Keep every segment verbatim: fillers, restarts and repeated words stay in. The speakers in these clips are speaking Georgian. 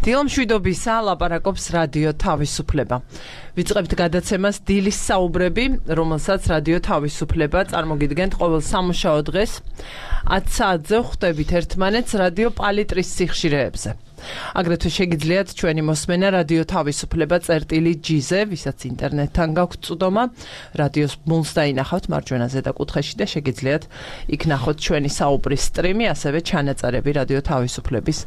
დილამშვიდობისა ლაპარაკობს რადიო თავისუფლება. ვიწყებთ გადაცემას დილის საუბრები, რომელსაც რადიო თავისუფლება წარმოგიდგენთ ყოველ სამუშაო დღეს. ათ საათზე ხვდებით ერთმანეთს რადიო პალიტრის სიხშირეებზე. აგრეთვე შეგიძლიათ ჩვენი მოსმენა რადიო თავისუფლება წერტილი ჯიზე, ვისაც ინტერნეტთან გაქვთ წვდომა, რადიოს ბმულს დაინახავთ მარჯვენა ზედა კუთხეში და შეგიძლიათ იქ ნახოთ ჩვენი საუბრის სტრიმი, ასევე ჩანაწერები რადიო თავისუფლების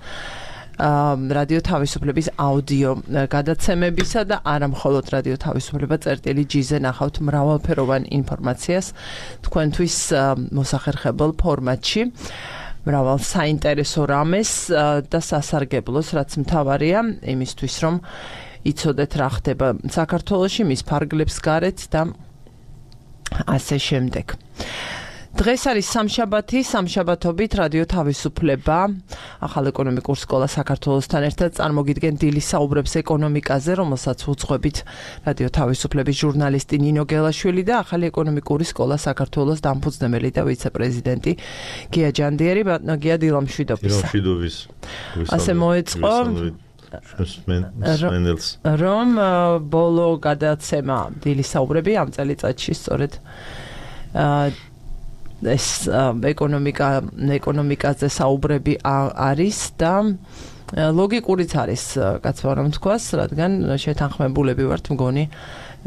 რადიო თავისუფლების აუდიო გადაცემებისა და არა მხოლოდ რადიო თავისუფლება წერტილი ჯიზე ნახავთ მრავალფეროვან ინფორმაციას თქვენთვის მოსახერხებელ ფორმატში. მრავალ საინტერესო რამეს და სასარგებლოს, რაც მთავარია იმისთვის, რომ იცოდეთ რა ხდება საქართველოში, მის ფარგლებს გარეთ და ასე შემდეგ. დღეს არის სამშაბათი, სამშაბათობით რადიო თავისუფლება, ახალ ეკონომიკურ სკოლა საქართველოსთან ერთად წარმოგიდგენ დილის საუბრებს ეკონომიკაზე, რომელსაც უძღვებით რადიო თავისუფლების ჟურნალისტი ნინო გელაშვილი და ახალი ეკონომიკური სკოლა საქართველოს დამფუძნებელი და ვიცე-პრეზიდენტი გია ჯანდიერი. ბატონო გია, დილამშვიდობისა. დილამშვიდობის. ასე მოეწყო რომ ბოლო გადაცემა დილის საუბრები ამ წელიწადში სწორედ ეს ეკონომიკა ეკონომიკაზე საუბრები არის და ლოგიკურიც არის, კაცო რომ თქვას, რადგან შეთანხმებულები ვართ მგონი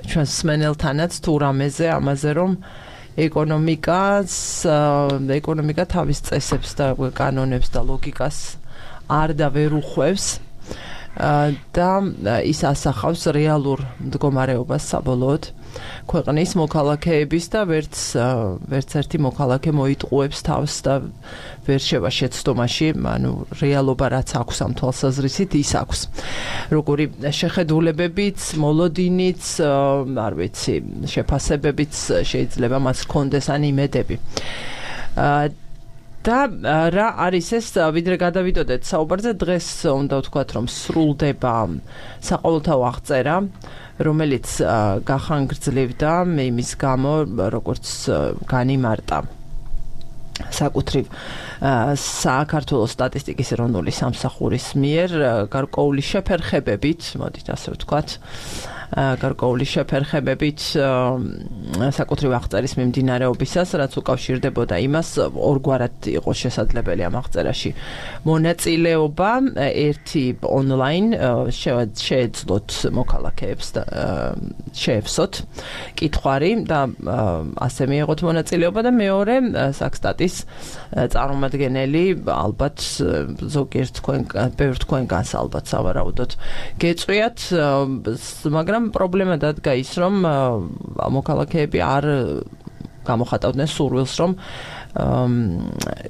ჩვენს მსმენელთანაც თუ რამეზე, ამაზე რომ ეკონომიკას ეკონომიკა თავის წესებს და კანონებს და ლოგიკას არ და ვერ უხვევს და ის ასახავს რეალურ მდგომარეობას საბოლოოდ ქვეყნის მოქალაქეების და ვერც ვერც ერთი მოქალაქე მოიტყუებს თავს და ვერ შევა შეცდომაში, ანუ რეალობა რაც აქვს ამ თვალსაზრისით ის აქვს. როგორი შეხედულებებიც, მოლოდინიც, არ ვიცი, შეფასებებიც შეიძლება მას ჰქონდეს ან იმედები. და რა არის ეს, ვიდრე გადავიდოდეთ საუბარზე, დღეს უნდა ვთქვათ, რომ სრულდება საყოველთაო აღწერა, რომელიც გახანგრძლივდა იმის გამო, როგორც განიმარტა საკუთრივ საქართველოს სტატისტიკის ეროვნული სამსახურის მიერ გარკვეული შეფერხებებით, მოდით ასე ვთქვათ, გარკვეული შეფერხებებით საკუთრივ აღწერის მიმდინარეობისას, რაც უკავშირდებოდა იმას, ორგვარად იყო შესაძლებელი ამ აღწერაში მონაწილეობა, ერთი ონლაინ შეეძლოთ მოქალაქეებს და შეეվსოთ კითხვარი და ასე მიიღოთ მონაწილეობა და მეორე საქსტატის წარმომადგენელი, ალბათ ზოგიერთ თქვენ ბევრ თქვენგანს ალბათ სავარაუდოდ გეწვიათ, მაგრამ პრობლემა დადგა ის, რომ მოქალაქეები არ გამოხატავდნენ სურვილს, რომ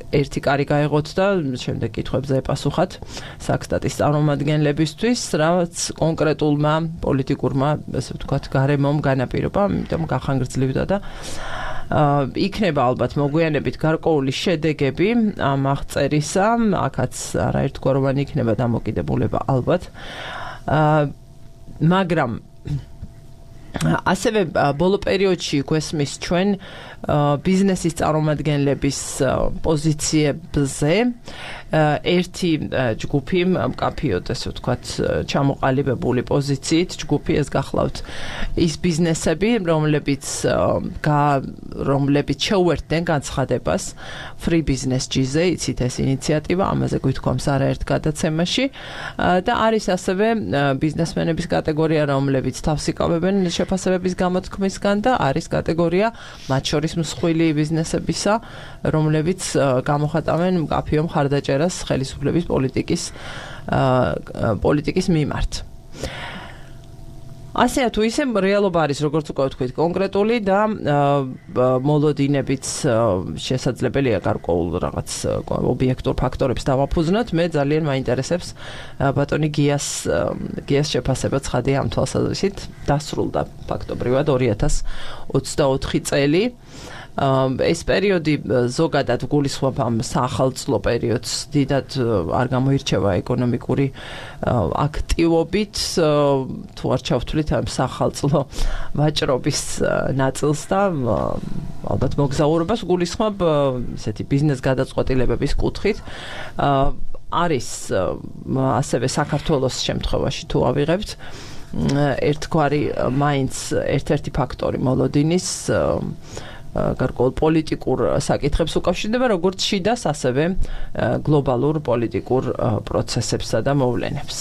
ერთი კარი გაეღოთ და შემდეგ კითხვებზე ეპასუხათ საქსტატის წარმომადგენლებისთვის, რაც კონკრეტულმა პოლიტიკურმა, ასე ვთქვათ, გარემომ განაპირობა, ამიტომ გახანგრძლივდა და იქნება ალბათ მოგვიანებით გარკვეული შედეგები ამ აღწერისა, აქაც არაერთგვაროვანი იქნება დამოკიდებულება ალბათ. მაგრამ ასევე ბოლო პერიოდში გვესმის ჩვენ ბიზნესის წარმომადგენლების პოზიციებზე ერთი ჯგუფი მკაფიოდ, ასე ვთქვათ, ჩამოყალიბებული პოზიციით ჯგუფი, ეს გახლავთ ის ბიზნესები, რომლებიც რომლებიც შეუერთდნენ განცხადებას Free Business ჯიზე, იცით ეს ინიციატივა, ამაზე გვითქვამს არაერთ გადაცემაში და არის ასევე ბიზნესმენების კატეგორია, რომლებიც თავს იკავებენ შეფასებების გამოთქმისგან და არის კატეგორია მათ შორის მსხვილი ბიზნესებისა, რომლებიც გამოხატავენ მკაფიო მხარდაჭერას ხელისუფლების პოლიტიკის პოლიტიკის მიმართ. ასე თუ ისე რეალობა არის, როგორც უკვე ვთქვით, კონკრეტული და მოლოდინებიც შესაძლებელია გარკვეულ რაღაც ობიექტურ ფაქტორებს დავაფუძნოთ. მე ძალიან მაინტერესებს ბატონი გიას გიას შეფასება ცხადია ამ თვალსაზრისით, დასრულდა ფაქტობრივად ორი ათას ოცდაოთხი წელი. ეს პერიოდი ზოგადად გულისხმობ ამ საახალწლო პერიოდს, დიდად არ გამოირჩევა ეკონომიკური აქტივობით, თუ არ ჩავთვლით ამ საახალწლო ვაჭრობის ნაწილს და ალბათ მოგზაურობას გულისხმობ ესეთი ბიზნეს გადაწყვეტილებების კუთხით. არის ასევე საქართველოს შემთხვევაში თუ ავიღებთ ერთგვარი მაინც ერთ-ერთი ფაქტორი მოლოდინის გარკვეულ პოლიტიკურ საკითხებს უკავშირდება, როგორც შიდას, ასევე გლობალურ პოლიტიკურ პროცესებსა და მოვლენებს.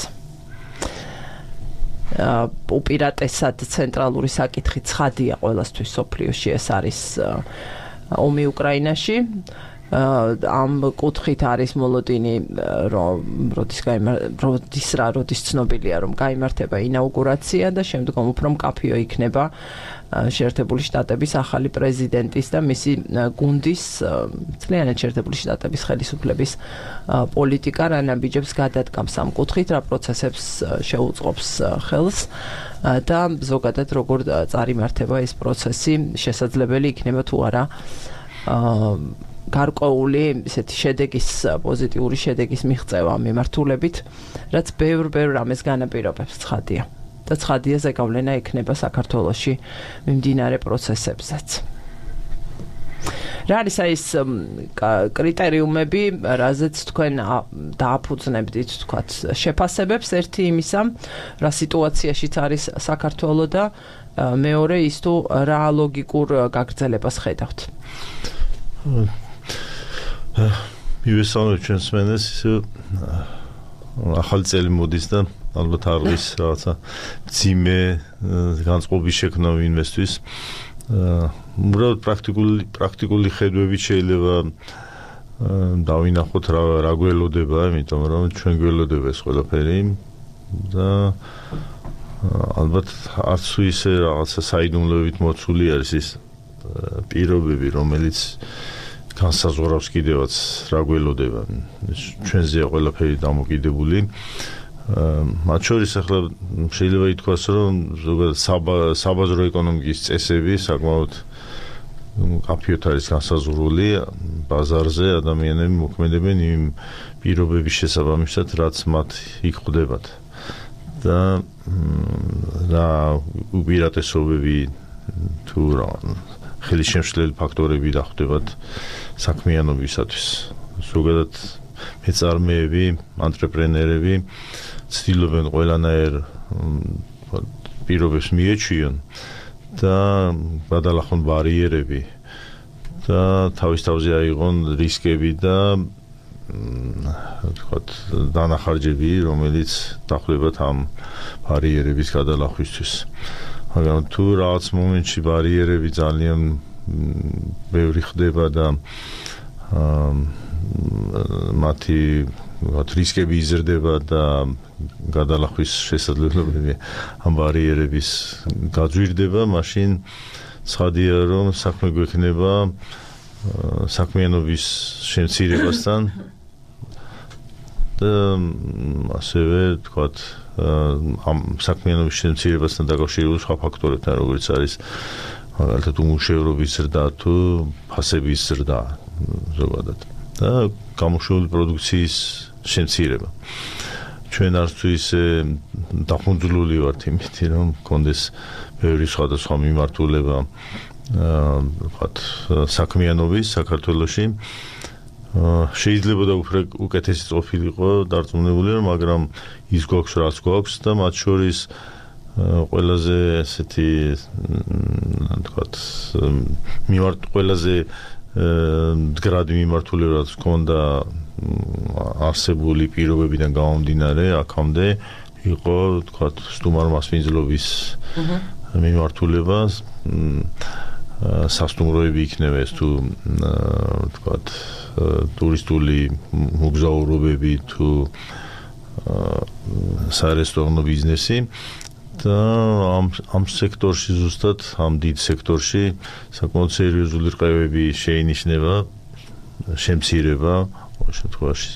უპირატესად ცენტრალური საკითხი ცხადია ყველასთვის სოფლიოში, ეს არის ომი უკრაინაში. ამ კუთხით არის მოლოდინი, რომ როდის როდის რა როდის ცნობილია, რომ გაიმართება ინაუგურაცია და შემდგომ უფრო მკაფიო იქნება შეერთებული შტატების ახალი პრეზიდენტის და მისი გუნდის, მთლიანად შეერთებული შტატების ხელისუფლების პოლიტიკა რა ნაბიჯებს გადადგამს ამ კუთხით, რა პროცესებს შეუწყობს ხელს და ზოგადად როგორ წარიმართება ეს პროცესი, შესაძლებელი იქნება თუ არა გარკვეული ესეთი შედეგის, პოზიტიური შედეგის მიღწევა მიმართულებით, რაც ბევრ-ბევრ რამეს განაპირობებს, ცხადია. და ცხადია ზეგავლენა ექნება საქართველოში მიმდინარე პროცესებსაც. რა არის ეს კრიტერიუმები, რაზეც თქვენ დააფუძნებდით, თქვათ, შეფასებებს, ერთი იმისა, რა სიტუაციაშიც არის საქართველო და მეორე ის თუ რა ლოგიკურ გაგრძელებას ხედავთ. მივესალმებ ჩვენს მენეს, ახალი წელი მოდის და ალბათ არის რაღაცა ძიმე განწყობის შექმნა ვინმესთვის. უბრალოდ პრაქტიკული პრაქტიკული ხედვებით შეიძლება დავინახოთ რა რა გველოდება, იმიტომ რომ ჩვენ გველოდება ეს ყველაფერი და ალბათ არც ისე რაღაცა საიდუმლოებით მოცული არის ის პირობები, რომელიც განსაზღვრავს კიდევაც რა გველოდება. ჩვენზეა ყველაფერი დამოკიდებული. მათ შორის ახლა შეიძლება ითქვას, რომ ზოგადად საბაზრო ეკონომიკის წესები საკმაოდ მკაფიოდ არის განსაზღვრული ბაზარზე, ადამიანები მოქმედებენ იმ პირობების შესაბამისად, რაც მათ იქ ხვდებათ. და რა უპირატესობები თუ რა ხელისშემშლელი ფაქტორები დახვდებათ საქმიანობისათვის. ზოგადად მეწარმეები, ანტრეპრენერები ცდილობენ ყველანაირ პირობებს მიეჩვიონ და გადალახონ ბარიერები და თავის თავზე აიღონ რისკები და თქვათ დანახარჯები, რომელიც დახვდებათ ამ ბარიერების გადალახვისთვის. მაგრამ თუ რაღაც მომენტში ბარიერები ძალიან ბევრი ხდება და მათი რისკები იზრდება და გადალახვის შესაძლებლობები ამ ბარიერების გაძვირდება, მაშინ ცხადია, რომ საქმე გვექნება საქმიანობის შემცირებასთან და ასევე თქვათ ამ საქმიანობის შემცირებასთან დაკავშირებული სხვა ფაქტორებთან, როგორც არის მაგალითად უმუშევრობის ზრდა თუ ფასების ზრდა ზოგადად და გამოშვებული პროდუქციის შემცირება. ჩვენ არც თუ ისე დახუნძლული ვართ იმითი, რომ გქონდეს ბევრი სხვადასხვა მიმართულება ვთქვათ საქმიანობის საქართველოში. შეიძლება და უფრო უკეთესი ყოფილიყო დარწმუნებული, მაგრამ ის გვაქვს რაც გვაქვს და მათ შორის ყველაზე ესეთი ვთქვათ მიმართ ყველაზე მდგრადი მიმართულებაც ჰქონდა არსებული პირობებიდან გამომდინარე აქამდე იყო ვთქვათ სტუმარ მასპინძლობის მიმართულება სასტუმროები იქნება ეს თუ ვთქვათ ტურისტული მოგზაურობები თუ სარესტორნო ბიზნესი და ამ ამ სექტორში ზუსტად ამ დიდ სექტორში საკმაოდ სერიოზული რყევები შეინიშნება შემცირება ყოველ შემთხვევაში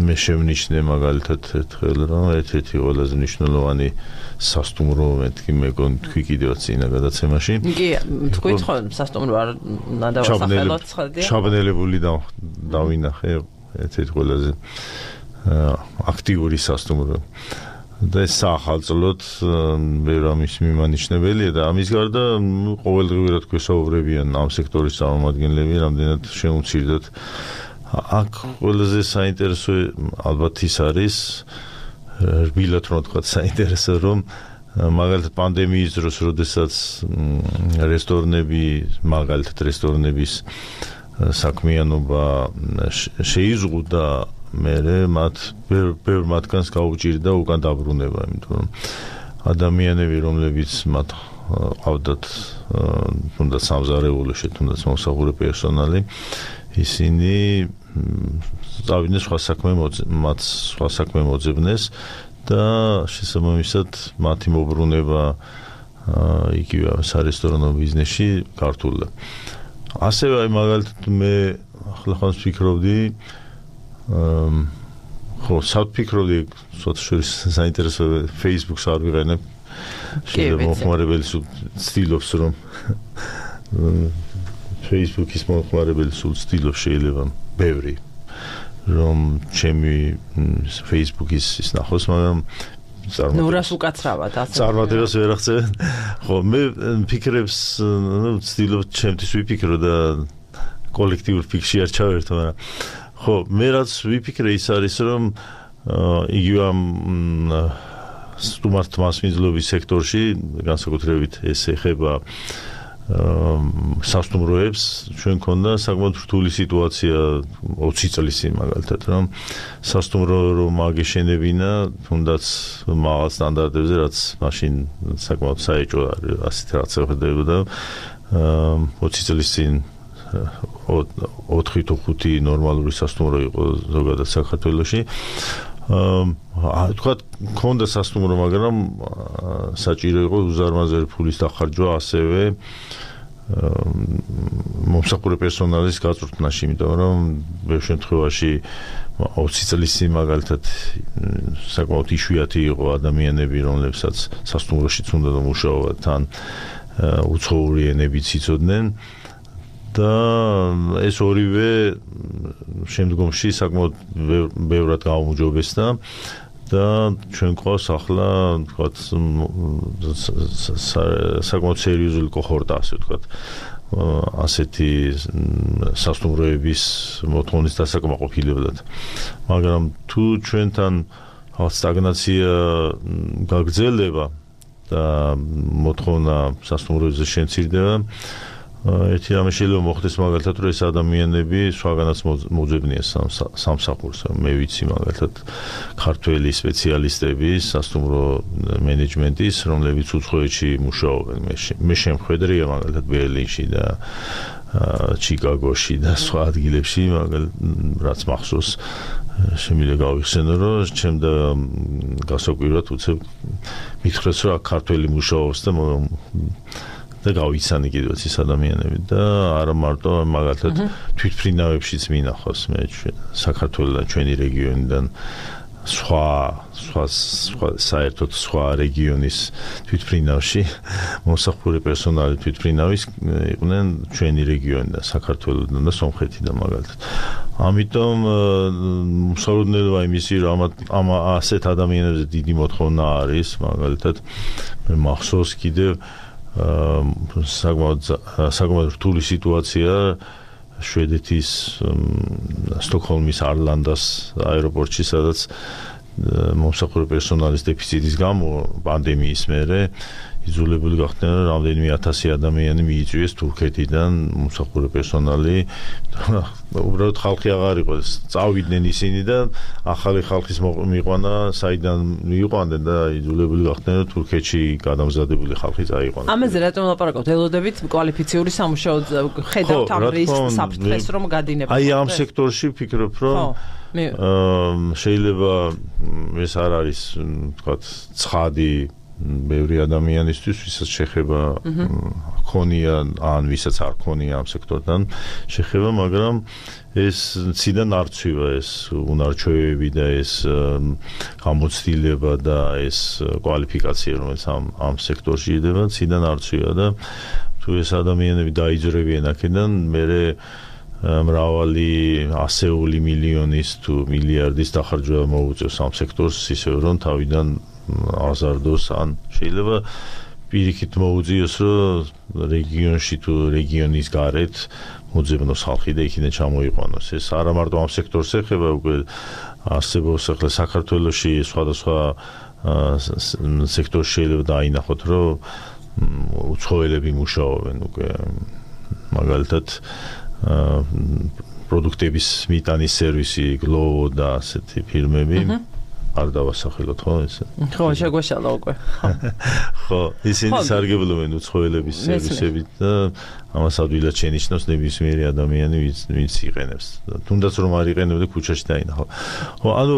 მე შევნიშნე მაგალითად ერთხელ რომ ერთ-ერთი ყველაზე მნიშვნელოვანი სასტუმრო მეთქი მეგონი თქვი კიდევაც წინა გადაცემაში კი თქვით ხო სასტუმრო არ უნდა დავასახელოთ ხალხი ჩაბნელებული დავინახე ერთ-ერთი ყველაზე აქტიური სასტუმრო და ეს ახალწლოდ ვერ ამის მიმანიშნებელია და ამის გარდა ყოველდღიურად გვესაუბრებიან ამ სექტორის წარმომადგენლები რამდენად შეუმცირდათ აქ ყველაზე საინტერესო ალბათ ის არის რბილად რომ თქვა საინტერესო რომ მაგალითად პანდემიის დროს როდესაც რესტორნები მაგალითად რესტორნების საქმიანობა შეიზღუდა მერე მათ ბევრ მათგანს გაუჭირდა უკან დაბრუნება იმიტომ რომ ადამიანები რომლებიც მათ ყავდათ თუნდაც სამზარეულოში თუნდაც მომსახურე პერსონალი ისინი წავიდნენ სხვა საქმე მათ სხვა საქმე მოძებნეს და შესაბამისად მათი მობრუნება იგივე სარესტორნო ბიზნესში გართულდა. ასევე აი მაგალითად მე ახლა ხანს ვფიქრობდი ხო საფიქრობდი ცოტა შორის საინტერესო Facebook-ს არ ვიყენებ შეიძლება მოხმარებელი ცდილობს რომ Facebook-ის მოხმარებელი სულ ცდილობს შეიძლება ბევრი რომ ჩემი Facebook-ის ის ნახოს მაგრამ ნურას უკაცრავად ასე წარმატებას ვერ აღწევენ ხო მე ფიქრებს ნუ ცდილობ ჩემთვის ვიფიქრო და კოლექტიურ ფიქრში არ ჩავერთო მაგრამ ხო მე რაც ვიფიქრე ის არის რომ იგივე ამ სტუმართ მასმიძვლობის სექტორში განსაკუთრებით ეს ეხება სასტუმროებს ჩვენ ქონდა საკმაოდ რთული სიტუაცია ოცი წლის წინ მაგალითად რომ სასტუმრო რომ აგეშენებინა თუნდაც მაღალ სტანდარტებზე რაც მაშინ საკმაოდ საეჭვო არის ასეთ რაც ხდებოდა ოცი წლის წინ ოთხი თუ ხუთი ნორმალური სასტუმრო იყო ზოგადად საქართველოში აა თქვა ქონდა სასტუმრო მაგრამ საჭირო იყო უზარმაზარი ფულის დახარჯვა ასევე მომსახურე პერსონალის გაწვრთნაში იმიტომ რომ ბევრ შემთხვევაში ოცი წლის წინ მაგალითად საკმაოდ იშვიათი იყო ადამიანები რომლებსაც სასტუმროშიც უნდა დამუშაოთ თან უცხოური ენებიც იცოდნენ და ეს ორივე შემდგომში საკმაოდ ბევრად გაუმჯობესდა და ჩვენ ყავს ახლა თქვა საკმაოდ სერიოზული კოჰორტა ასე ვთქვა ასეთი სასტუმროების მოთხოვნის დასაკმაყოფილებლად მაგრამ თუ ჩვენთან სტაგნაცია გაგრძელდება და მოთხოვნა სასტუმროებზე შემცირდება ერთი რამე შეიძლება მოხდეს მაგალითად რომ ეს ადამიანები სხვაგანაც მოძებნიან სამსახურს მე ვიცი მაგალითად ქართველი სპეციალისტები სასტუმრო მენეჯმენტის რომლებიც უცხოეთში მუშაობენ მე შემხედრია მაგალითად ბერლინში და ჩიკაგოში და სხვა ადგილებში მაგალითად რაც მახსოვს შემიძლია გავიხსენო რომ ჩემ და გასაკვირად უცებ მითხრეს რომ ქართველი მუშაობს და და გავიცანი კიდევაც ის ადამიანები და არა მარტო მაგალითად თვითფრინავებშიც მინახავს მე საქართველოს ჩვენი რეგიონიდან სხვა სხვა საერთოდ სხვა რეგიონის თვითფრინავში მომსახურე პერსონალი თვითფრინავის იყვნენ ჩვენი რეგიონიდან საქართველოსიდან და სომხეთიდან მაგალითად ამიტომ მსაუბრდება იმისი რომ ამ ასეთ ადამიანებზე დიდი მოთხოვნა არის მაგალითად მე მახსოვს კიდევ საკმაოდ საკმაოდ რთული სიტუაცია შვედეთის სტოკჰოლმის არლანდას აეროპორტში სადაც მომსახურე პერსონალის დეფიციტის გამო პანდემიის მერე იძულებული გახდნენ რამდენიმე ათასი ადამიანი მიიწვიეს თურქეთიდან მომსახურე პერსონალი უბრალოდ ხალხი აღარ იყო წავიდნენ ისინი და ახალი ხალხის მიყვანა საიდან მიიყვანდნენ და იძულებული გახდნენ თურქეთში გადამზადებული ხალხი წაიყვანონ ამაზე რატომ ლაპარაკობთ ელოდებით კვალიფიციური სამუშაო ხედავთ ამ რისკს საფრთხეს რომ გადინება აი ამ სექტორში ვფიქრობ რომ შეიძლება ეს არ არის თქვათ ცხადი ბევრი ადამიანისთვის ვისაც შეხება ქონია ან ვისაც არ ქონია ამ სექტორთან შეხება მაგრამ ეს ციდან არ ცვივა ეს უნარჩვევები და ეს გამოცდილება და ეს კვალიფიკაცია რომელიც ამ ამ სექტორში იდება ციდან არ ცვივა და თუ ეს ადამიანები დაიძრებიან აქედან მერე მრავალი ასეული მილიონის თუ მილიარდის დახარჯვა მოუწევს ამ სექტორს ისევ რომ თავიდან აზარდოს ან შეიძლება პირიქით მოუწიოს რომ რეგიონში თუ რეგიონის გარეთ მოძებნოს ხალხი და იქიდან ჩამოიყვანოს. ეს არა მარტო ამ სექტორს ეხება, უკვე არსებობს ახლა საქართველოში სხვადასხვა სექტორში შეიძლება დაინახოთ, რომ უცხოელები მუშაობენ უკვე მაგალითად პროდუქტების მიტანის სერვისი, გლოვო და ასეთი ფირმები არ დავასახელოთ, ხო ეს? ხო, შეგვეშალა უკვე. ხო, ისინი სარგებლობენ უცხოელების სერვისებით და ამას ადვილად შენიშნავს ნებისმიერი ადამიანი, ვინც იყენებს. თუნდაც რომ არ იყენებდა ქუჩაში დაინახო. ხო, ანუ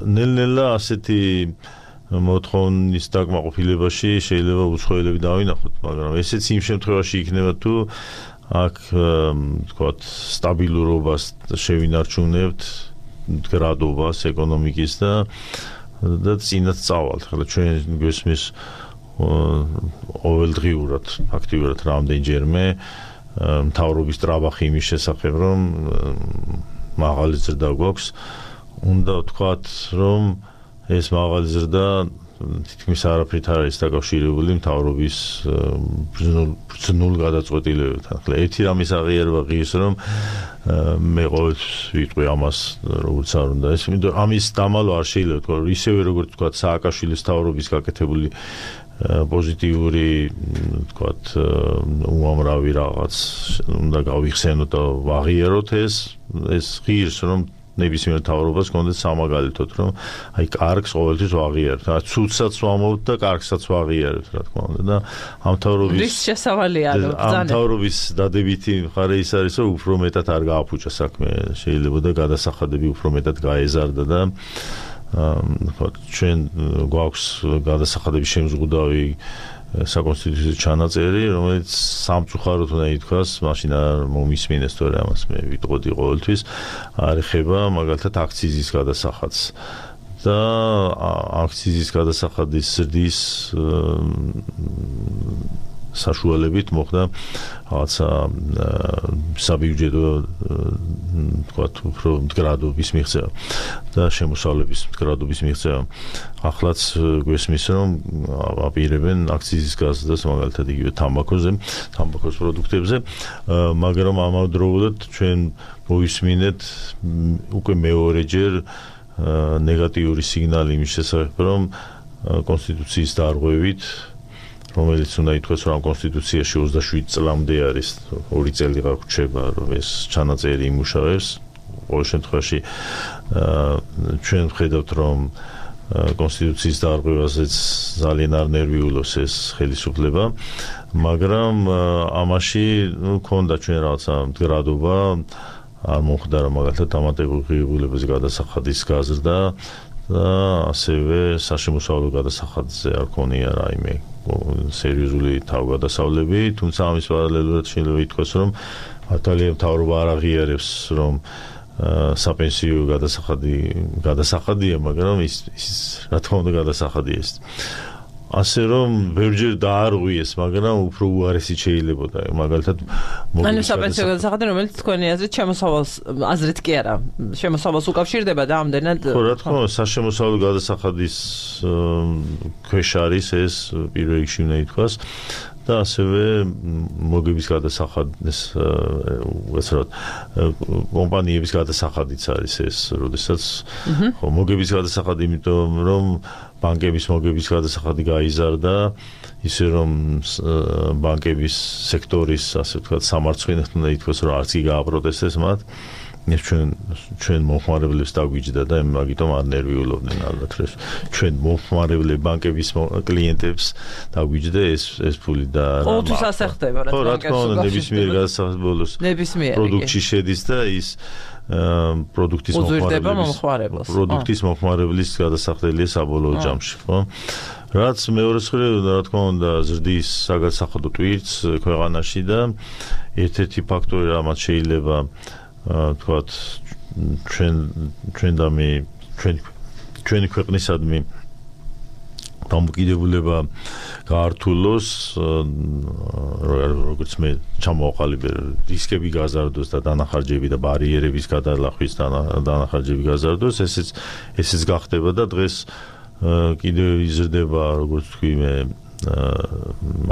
ნელ-ნელა ასეთი მოთხოვნის დაკმაყოფილებაში შეიძლება უცხოელები დავინახოთ, მაგრამ ესეც იმ შემთხვევაში იქნება თუ აქ თქვათ სტაბილურობას შევინარჩუნებთ, მდგრადობას ეკონომიკის და და წინათ წავალთ. ახლა ჩვენ გვესმის ყოველდღიურად ფაქტიურად რამდენჯერმე მთავრობის ტრაბახი იმის შესახებ, რომ მაღალი ზრდა გვაქვს, უნდა ვთქვათ, რომ ეს მაღალი ზრდა თითქმის არაფრით არ არის დაკავშირებული მთავრობის ბრძნულ გადაწყვეტილებებთან. ახლა ერთი რამის აღიარება ღირს, რომ მე ყოველთვის ვიტყვი ამას, როგორც არ უნდა ეს, იმიტომ ამის დამალვა არ შეიძლება თქვა, ისევე როგორც თქვა სააკაშვილის მთავრობის გაკეთებული პოზიტიური, თქვათ, უამრავი რაღაც უნდა გავიხსენოთ და ვაღიაროთ ეს, ეს ღირს, რომ ნებისმიერ მთავრობას კონდეთ სამაგალითოდ, რომ აი კარგს ყოველთვის ვაღიარებთ, რა ცუდსაც ვამოვთ და კარგსაც ვაღიარებთ, რა თქმა უნდა და ამ მთავრობის რის შესავალია რომ ამ მთავრობის დადებითი მხარე ის არის, რომ უფრო მეტად არ გააფუჭა საქმე, შეიძლება და გადასახადები უფრო მეტად გაეზარდა და ხო ჩვენ გვაქვს გადასახადების შემზღუდავი საკონსტიტუციო ჩანაწერი, რომელიც სამწუხაროდ უნდა ითქვას, მაშინ არ მომისმინეს თორე ამას მე ვიტყოდი ყოველთვის, არ ეხება მაგალითად აქციზის გადასახადს. და აქციზის გადასახადის ზრდის საშუალებით მოხდა რაღაცა საბიუჯეტო თქვათ უფრო მდგრადობის მიღწევა და შემოსავლების მდგრადობის მიღწევა. ახლაც გვესმის, რომ აპირებენ აქციზის გაზრდას მაგალითად იგივე თამბაქოზე, თამბაქოს პროდუქტებზე, მაგრამ ამავდროულად ჩვენ მოვისმინეთ უკვე მეორეჯერ ნეგატიური სიგნალი იმის შესახებ, რომ კონსტიტუციის დარღვევით, რომელიც უნდა ითქვას, რომ კონსტიტუციაში ოცდაშვიდი წლამდე არის, ორი წელი გაგვრჩება, რომ ეს ჩანაწერი იმუშავებს. ყოველ შემთხვევაში ჩვენ ვხედავთ, რომ კონსტიტუციის დარღვევაზეც ძალიან არ ნერვიულობს ეს ხელისუფლება, მაგრამ ამაში ქონდა ჩვენ რაღაცა მდგრადობა, არ მომხდარა მაგალითად დამატებულებების გადასახადის გაზრდა და ასევე საშემოსავლო გადასახადზე არ ქონია რაიმე სერიოზული თავგადასავლები, თუმცა ამის პარალელურად შეიძლება ითქვას, რომ მართალია მთავრობა არ აღიარებს, რომ საპენსიო გადასახადი გადასახადია, მაგრამ ის ის რა თქმა უნდა გადასახადია ეს. ასე რომ ბევრჯერ დაარღვიეს, მაგრამ უფრო უარესი შეიძლებოდა. მაგალითად ანუ საპენსიო გადასახადი, რომელიც თქვენი აზრით შემოსავალს აზრით კი არა, შემოსავალს უკავშირდება და ამდენად ხო, რა თქმა უნდა, საშემოსავლო გადასახადის ქვეშ არის ეს პირველ რიგში უნდა ითქვას და ასევე მოგების გადასახადის უცებ კომპანიების გადასახადიც არის ეს, როდესაც ხო მოგების გადასახადი, იმიტომ რომ ბანკების მოგების გადასახადი გაიზარდა, ისე რომ ბანკების სექტორის, ასე ვთქვათ, სამარცხვინოდ უნდა ითქვას, რომ არც კი გააპროტესტეს მათ. ეს ჩვენ ჩვენ მომხმარებლებს დაგვიჯდა და მაგიტომ არ ნერვიულობდნენ ალბათ, რომ ჩვენ მომხმარებლები ბანკების კლიენტებს დაგვიჯდა ეს ეს ფული და ყოველთვის ასე ხდება, რა თქმა უნდა. ხო, რა თქმა უნდა, ნებისმიერ გადასახადს ბოლოს პროდუქტში შედის და ის პროდუქტის მომხმარებლის პროდუქტის მომხმარებლის გადასახდელია საბოლოო ჯამში, ხო? რაც მეორე მხრივ, რა თქმა უნდა, ზრდის საგადასახადო ტვირთს ქვეყანაში და ერთ-ერთი ფაქტორი, რამაც შეიძლება თქვათ ჩვენ ჩვენდამი ჩვენ ჩვენი ქვეყნისადმი დამოკიდებულება გაართულოს, როგორც მე ჩამოვაყალიბე, რისკები გაზარდოს და დანახარჯები და ბარიერების გადალახვის დანახარჯები გაზარდოს, ესეც ესეც გახდება და დღეს კიდევ იზრდება, როგორც თქვი მე,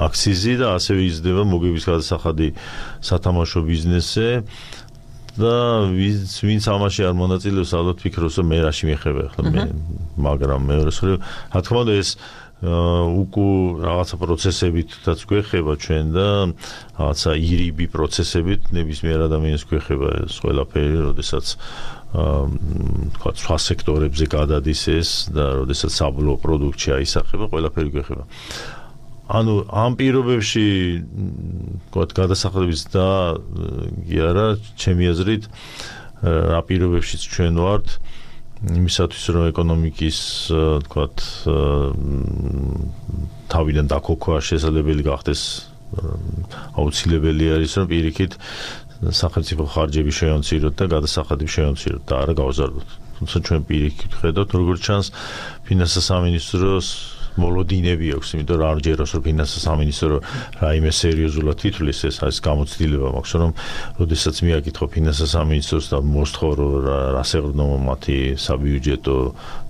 აქციზი და ასევე იზრდება მოგების გადასახადი სათამაშო ბიზნესზე და ვინც ამაში არ მონაწილეობს ალბათ ფიქრობს რომ მე რაში მეხება ახლა მე მაგრამ მეორე მხრივ რა თქმა უნდა ეს უკუ რაღაცა პროცესებითაც გვეხება ჩვენ და რაღაცა ირიბი პროცესებით ნებისმიერ ადამიანს გვეხება ეს ყველაფერი, როდესაც თქვა სხვა სექტორებზე გადადის ეს და როდესაც საბოლოო პროდუქტში აისახება, ყველაფერი გვეხება. ანუ ამ პირობებში თქვა გადასახადების და კი არა, ჩემი აზრით რა პირობებშიც ჩვენ ვართ იმისათვის რომ ეკონომიკის თქვათ თავიდან დაქოქვა შესაძლებელი გახდეს აუცილებელი არის რომ პირიქით სახელმწიფო ხარჯები შევამციროთ და გადასახადები შევამციროთ და არა გავზარდოთ. თუმცა ჩვენ პირიქით ხედავთ როგორც ჩანს ფინანსთა სამინისტროს მოლოდინები აქვს, იმიტომ რომ არ ჯეროს რომ ფინანსთა სამინისტრო რაიმე სერიოზულად ითვლის ეს არის გამოცდილება მაქვს, რომ როდესაც მიაკითხო ფინანსთა სამინისტროს და მოსთხოვ რომ რას ეყრდნობა მათი საბიუჯეტო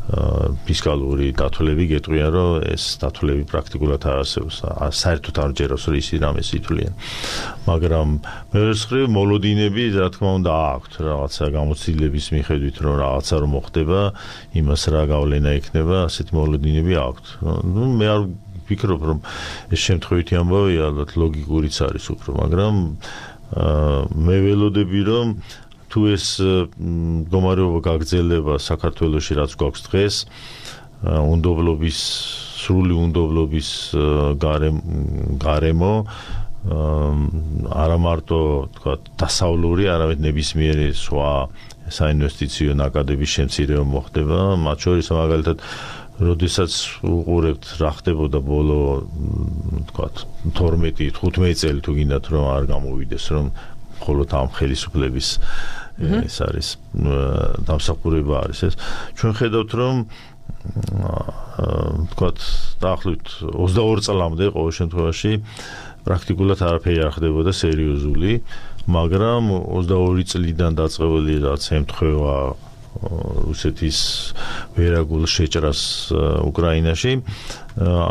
ფისკალური დათვლები გეტყვიან რომ ეს დათვლები პრაქტიკულად არ არსებობს. საერთოდ არ ჯეროს რომ ისინი რამეს ითვლიან. მაგრამ მეორე მხრივ მოლოდინები რა თქმა უნდა აქვთ რაღაცა გამოცდილების მიხედვით რომ რაღაცა რომ მოხდება, იმას რა გავლენა ექნება, ასეთი მოლოდინები აქვთ. ну მე არ ვფიქრობ რომ ეს შემთხვევითი ამბავია, ალბათ ლოგიკურიც არის უფრო, მაგრამ მე ველოდები რომ თუ ეს მდგომარეობა გაგრძელება საქართველოში რაც გვაქვს დღეს, უნდობლობის სრული უნდობლობის გარემო არა მარტო თქვა დასავლური, არამედ ნებისმიერი სხვა საინვესტიციო ნაკადების შემცირება მოხდება, მათ შორის მაგალითად როდესაც უყურებთ რა ხდებოდა ბოლო თქვა თორმეტი თხუთმეტი წელი თუ გინდათ რომ არ გამოვიდეს რომ მხოლოდ ამ ხელისუფლების ეს არის დამსახურება არის ეს ჩვენ ხედავთ რომ თქვა დაახლოებით ოცდაორი წლამდე ყოველ შემთხვევაში პრაქტიკულად არაფერი არ ხდებოდა სერიოზული, მაგრამ ოცდაორი წლიდან დაწყებული რაც ემთხვევა რუსეთის ვერაგულ შეჭრას უკრაინაში,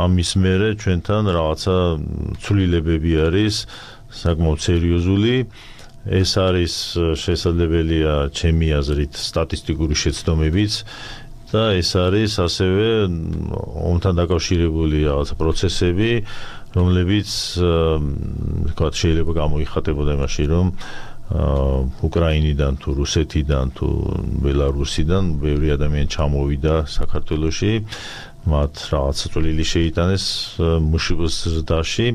ამის მერე ჩვენთან რაღაცა ცვლილებები არის საკმაოდ სერიოზული. ეს არის შესაძლებელია ჩემი აზრით სტატისტიკური შეცდომებიც და ეს არის ასევე ომთან დაკავშირებული რაღაცა პროცესები, რომლებიც თქვა შეიძლება გამოიხატებოდა იმაში, რომ უკრაინიდან თუ რუსეთიდან თუ ბელარუსიდან ბევრი ადამიანი ჩამოვიდა საქართველოში, მათ რაღაცა წვლილი შეიტანეს მუშიბოს ზრდაში,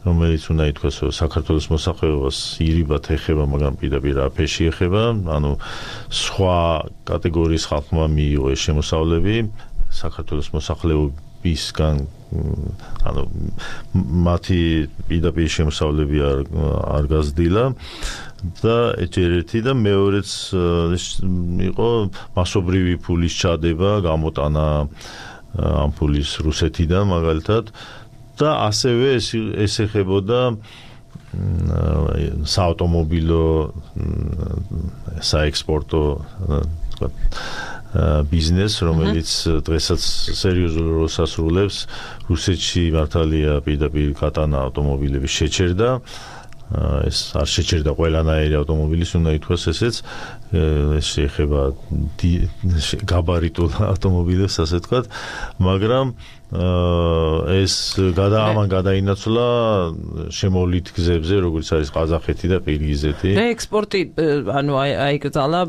რომელიც უნდა ითქვას, რომ საქართველოს მოსახლეობას ირიბად ეხება, მაგრამ პირდაპირ აფეში ეხება, ანუ სხვა კატეგორიის ხალხმა მიიღო ეს შემოსავლები, საქართველოს მოსახლეობისგან ანუ მათი პირდაპირ შემოსავლები არ არ გაზრდილა და ერთ-ერთი და მეორეც იყო მასობრივი ფულის ჩადება, გამოტანა ამ ფულის რუსეთიდან მაგალითად და ასევე ეს ეს ეხებოდა საავტომობილო საექსპორტო თქვა ბიზნეს, რომელიც დღესაც სერიოზულ როლს ასრულებს. რუსეთში მართალია პირდაპირ კატანა ავტომობილების შეჩერდა, ეს არ შეჩერდა ყველანაირი ავტომობილის, უნდა ითქვას ესეც, ეს შეეხება გაბარიტულ ავტომობილებს, ასე ვთქვათ, მაგრამ ეს გადაამან გადაინაცვლა შემოვლით გზებზე, როგორც არის ყაზახეთი და ყირგიზეთი. ექსპორტი ანუ აიკრძალა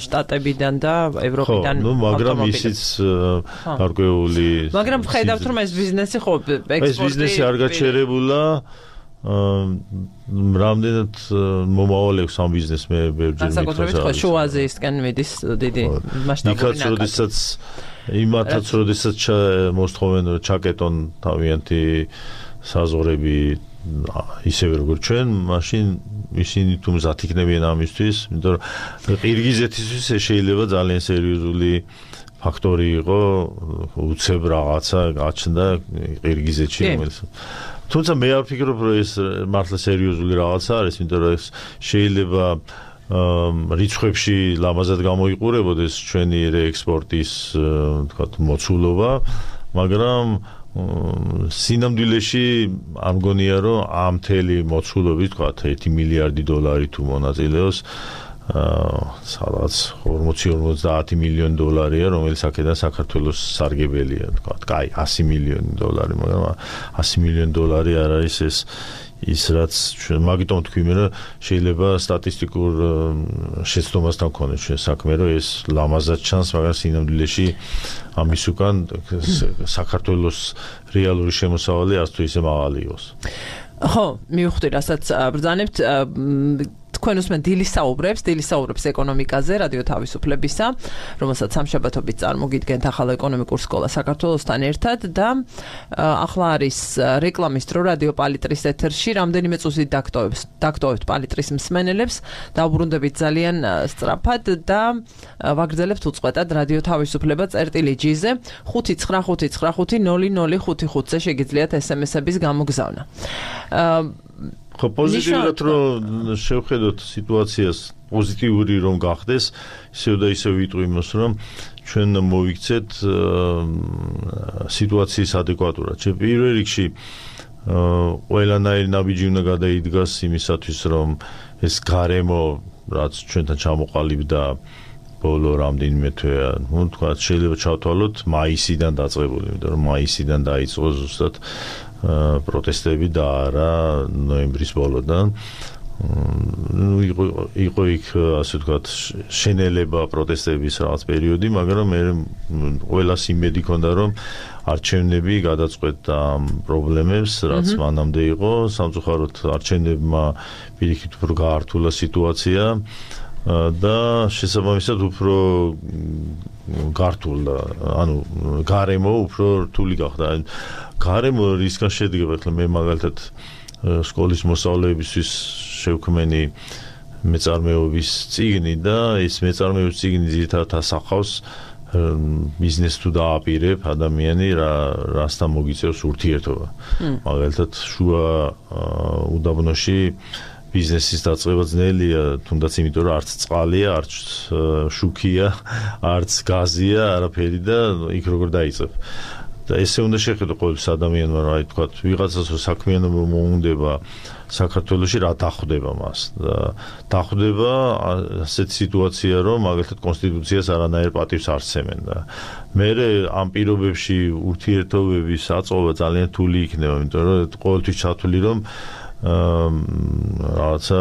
შტატებიდან და ევროპიდან ავტომობილები. ხო, მაგრამ ისიც გარკვეული მაგრამ ხედავთ რომ ეს ბიზნესი ხო ექსპორტი ეს ბიზნესი არ გაჩერებულა რამდენად მომავალი აქვს ამ ბიზნესს მე ბევრჯერ მითხრა. განსაკუთრებით ხო შუა აზიისკენ მიდის დიდი მასშტაბური ნაკადი. როდესაც იმათაც როდესაც მოსთხოვენ ჩაკეტონ თავიანთი საზღვრები ისევე როგორც ჩვენ, მაშინ ისინი თუ მზად იქნებიან ამისთვის, იმიტომ რომ ყირგიზეთისთვის შეიძლება ძალიან სერიოზული ფაქტორი იყო, უცებ რაღაცა გაჩნდა ყირგიზეთში, რომელიც თუმცა მე არ ვფიქრობ, რომ ეს მართლა სერიოზული რაღაცა არის, იმიტომ რომ ეს შეიძლება რიცხვებში ლამაზად გამოიყურებოდეს ჩვენი რეექსპორტის თქვა მოცულობა, მაგრამ სინამდვილეში არ მგონია რომ ამ მთელი მოცულობით თქვა ერთი მილიარდი დოლარი თუ მონაწილეობს სადაც ორმოცი ორმოცდაათი მილიონი დოლარია რომელიც აქედან საქართველოს სარგებელია თქვა კაი ასი მილიონი დოლარი მაგრამ ასი მილიონი დოლარი არ არის ეს ის რაც მაგიტომ თქვი მე რომ შეიძლება სტატისტიკურ შეცდომასთან გქონდეს ჩვენ საქმე რომ ეს ლამაზად ჩანს მაგრამ სინამდვილეში ამის უკან საქართველოს რეალური შემოსავალი არც თუ ისე მაღალი იყოს ხო მივხვდი რასაც ბრძანებთ თქვენ უსმენთ დილის საუბრებს, დილის საუბრებს ეკონომიკაზე, რადიო თავისუფლებისა, რომელსაც სამშაბათობით წარმოგიდგენთ ახალ ეკონომიკურ სკოლა საქართველოსთან ერთად და ახლა არის რეკლამის დრო რადიო პალიტრის ეთერში, რამდენიმე წუთით დაგტოვებს, დაგტოვებთ პალიტრის მსმენელებს, დაუბრუნდებით ძალიან სწრაფად და ვაგრძელებთ უწყვეტად რადიო თავისუფლება წერტილი ჯიზე ხუთი ცხრა ხუთი ცხრა ხუთი ნული ნული ხუთი ხუთზე შეგიძლიათ ესემესების გამოგზავნა. ხო პოზიტიურად რომ შევხედოთ სიტუაციას პოზიტიური რომ გახდეს ისევ და ისევ ვიტყვი იმას რომ ჩვენ მოვიქცეთ სიტუაციის ადეკვატურად. ჩვენ პირველ რიგში ყველანაირი ნაბიჯი უნდა გადაიდგას იმისათვის რომ ეს გარემო რაც ჩვენთან ჩამოყალიბდა ბოლო რამდენიმე თვე ну თქვა შეიძლება ჩავთვალოთ მაისიდან დაწყებული იმიტომ რომ მაისიდან დაიწყო ზუსტად პროტესტები და არა ნოემბრის ბოლოდან ну იყო იქ ასე ვთქვათ შენელება პროტესტების რაღაც პერიოდი მაგრამ მე ყველას იმედი ქონდა რომ არჩევნები გადაწყვეტდა პრობლემებს რაც მანამდე იყო სამწუხაროდ არჩევნებმა პირიქით უფრო გაართულა სიტუაცია და შესაბამისად უფრო გართულდა ანუ გარემო უფრო რთული გახდა გარემო რისგან შედგება ახლა მე მაგალითად სკოლის მოსწავლეებისთვის შევქმენი მეწარმეობის წიგნი და ეს მეწარმეობის წიგნი ძირითადად ასახავს ბიზნეს თუ დააპირებ ადამიანი რა რასთან მოგიწევს ურთიერთობა მაგალითად შუა უდაბნოში ბიზნესის დაწყება ძნელია, თუნდაც იმიტომ რომ არც წყალია, არც შუქია, არც გაზია, არაფერი და იქ როგორ დაიწყებ. და ესე უნდა შეხედო ყოველს ადამიანმა, რა თქვა, ვიღაცას რო საქმიანობა მოუნდება საქართველოში რა დახვდება მას და დახვდება ასეთ სიტუაცია რომ მაგალითად კონსტიტუციას არანაირ პატივს არ სცემენ და მე ამ პირობებში ურთიერთობების აწოვა ძალიან რთული იქნება, იმიტომ რომ ყოველთვის ჩათვლი რომ რაღაცა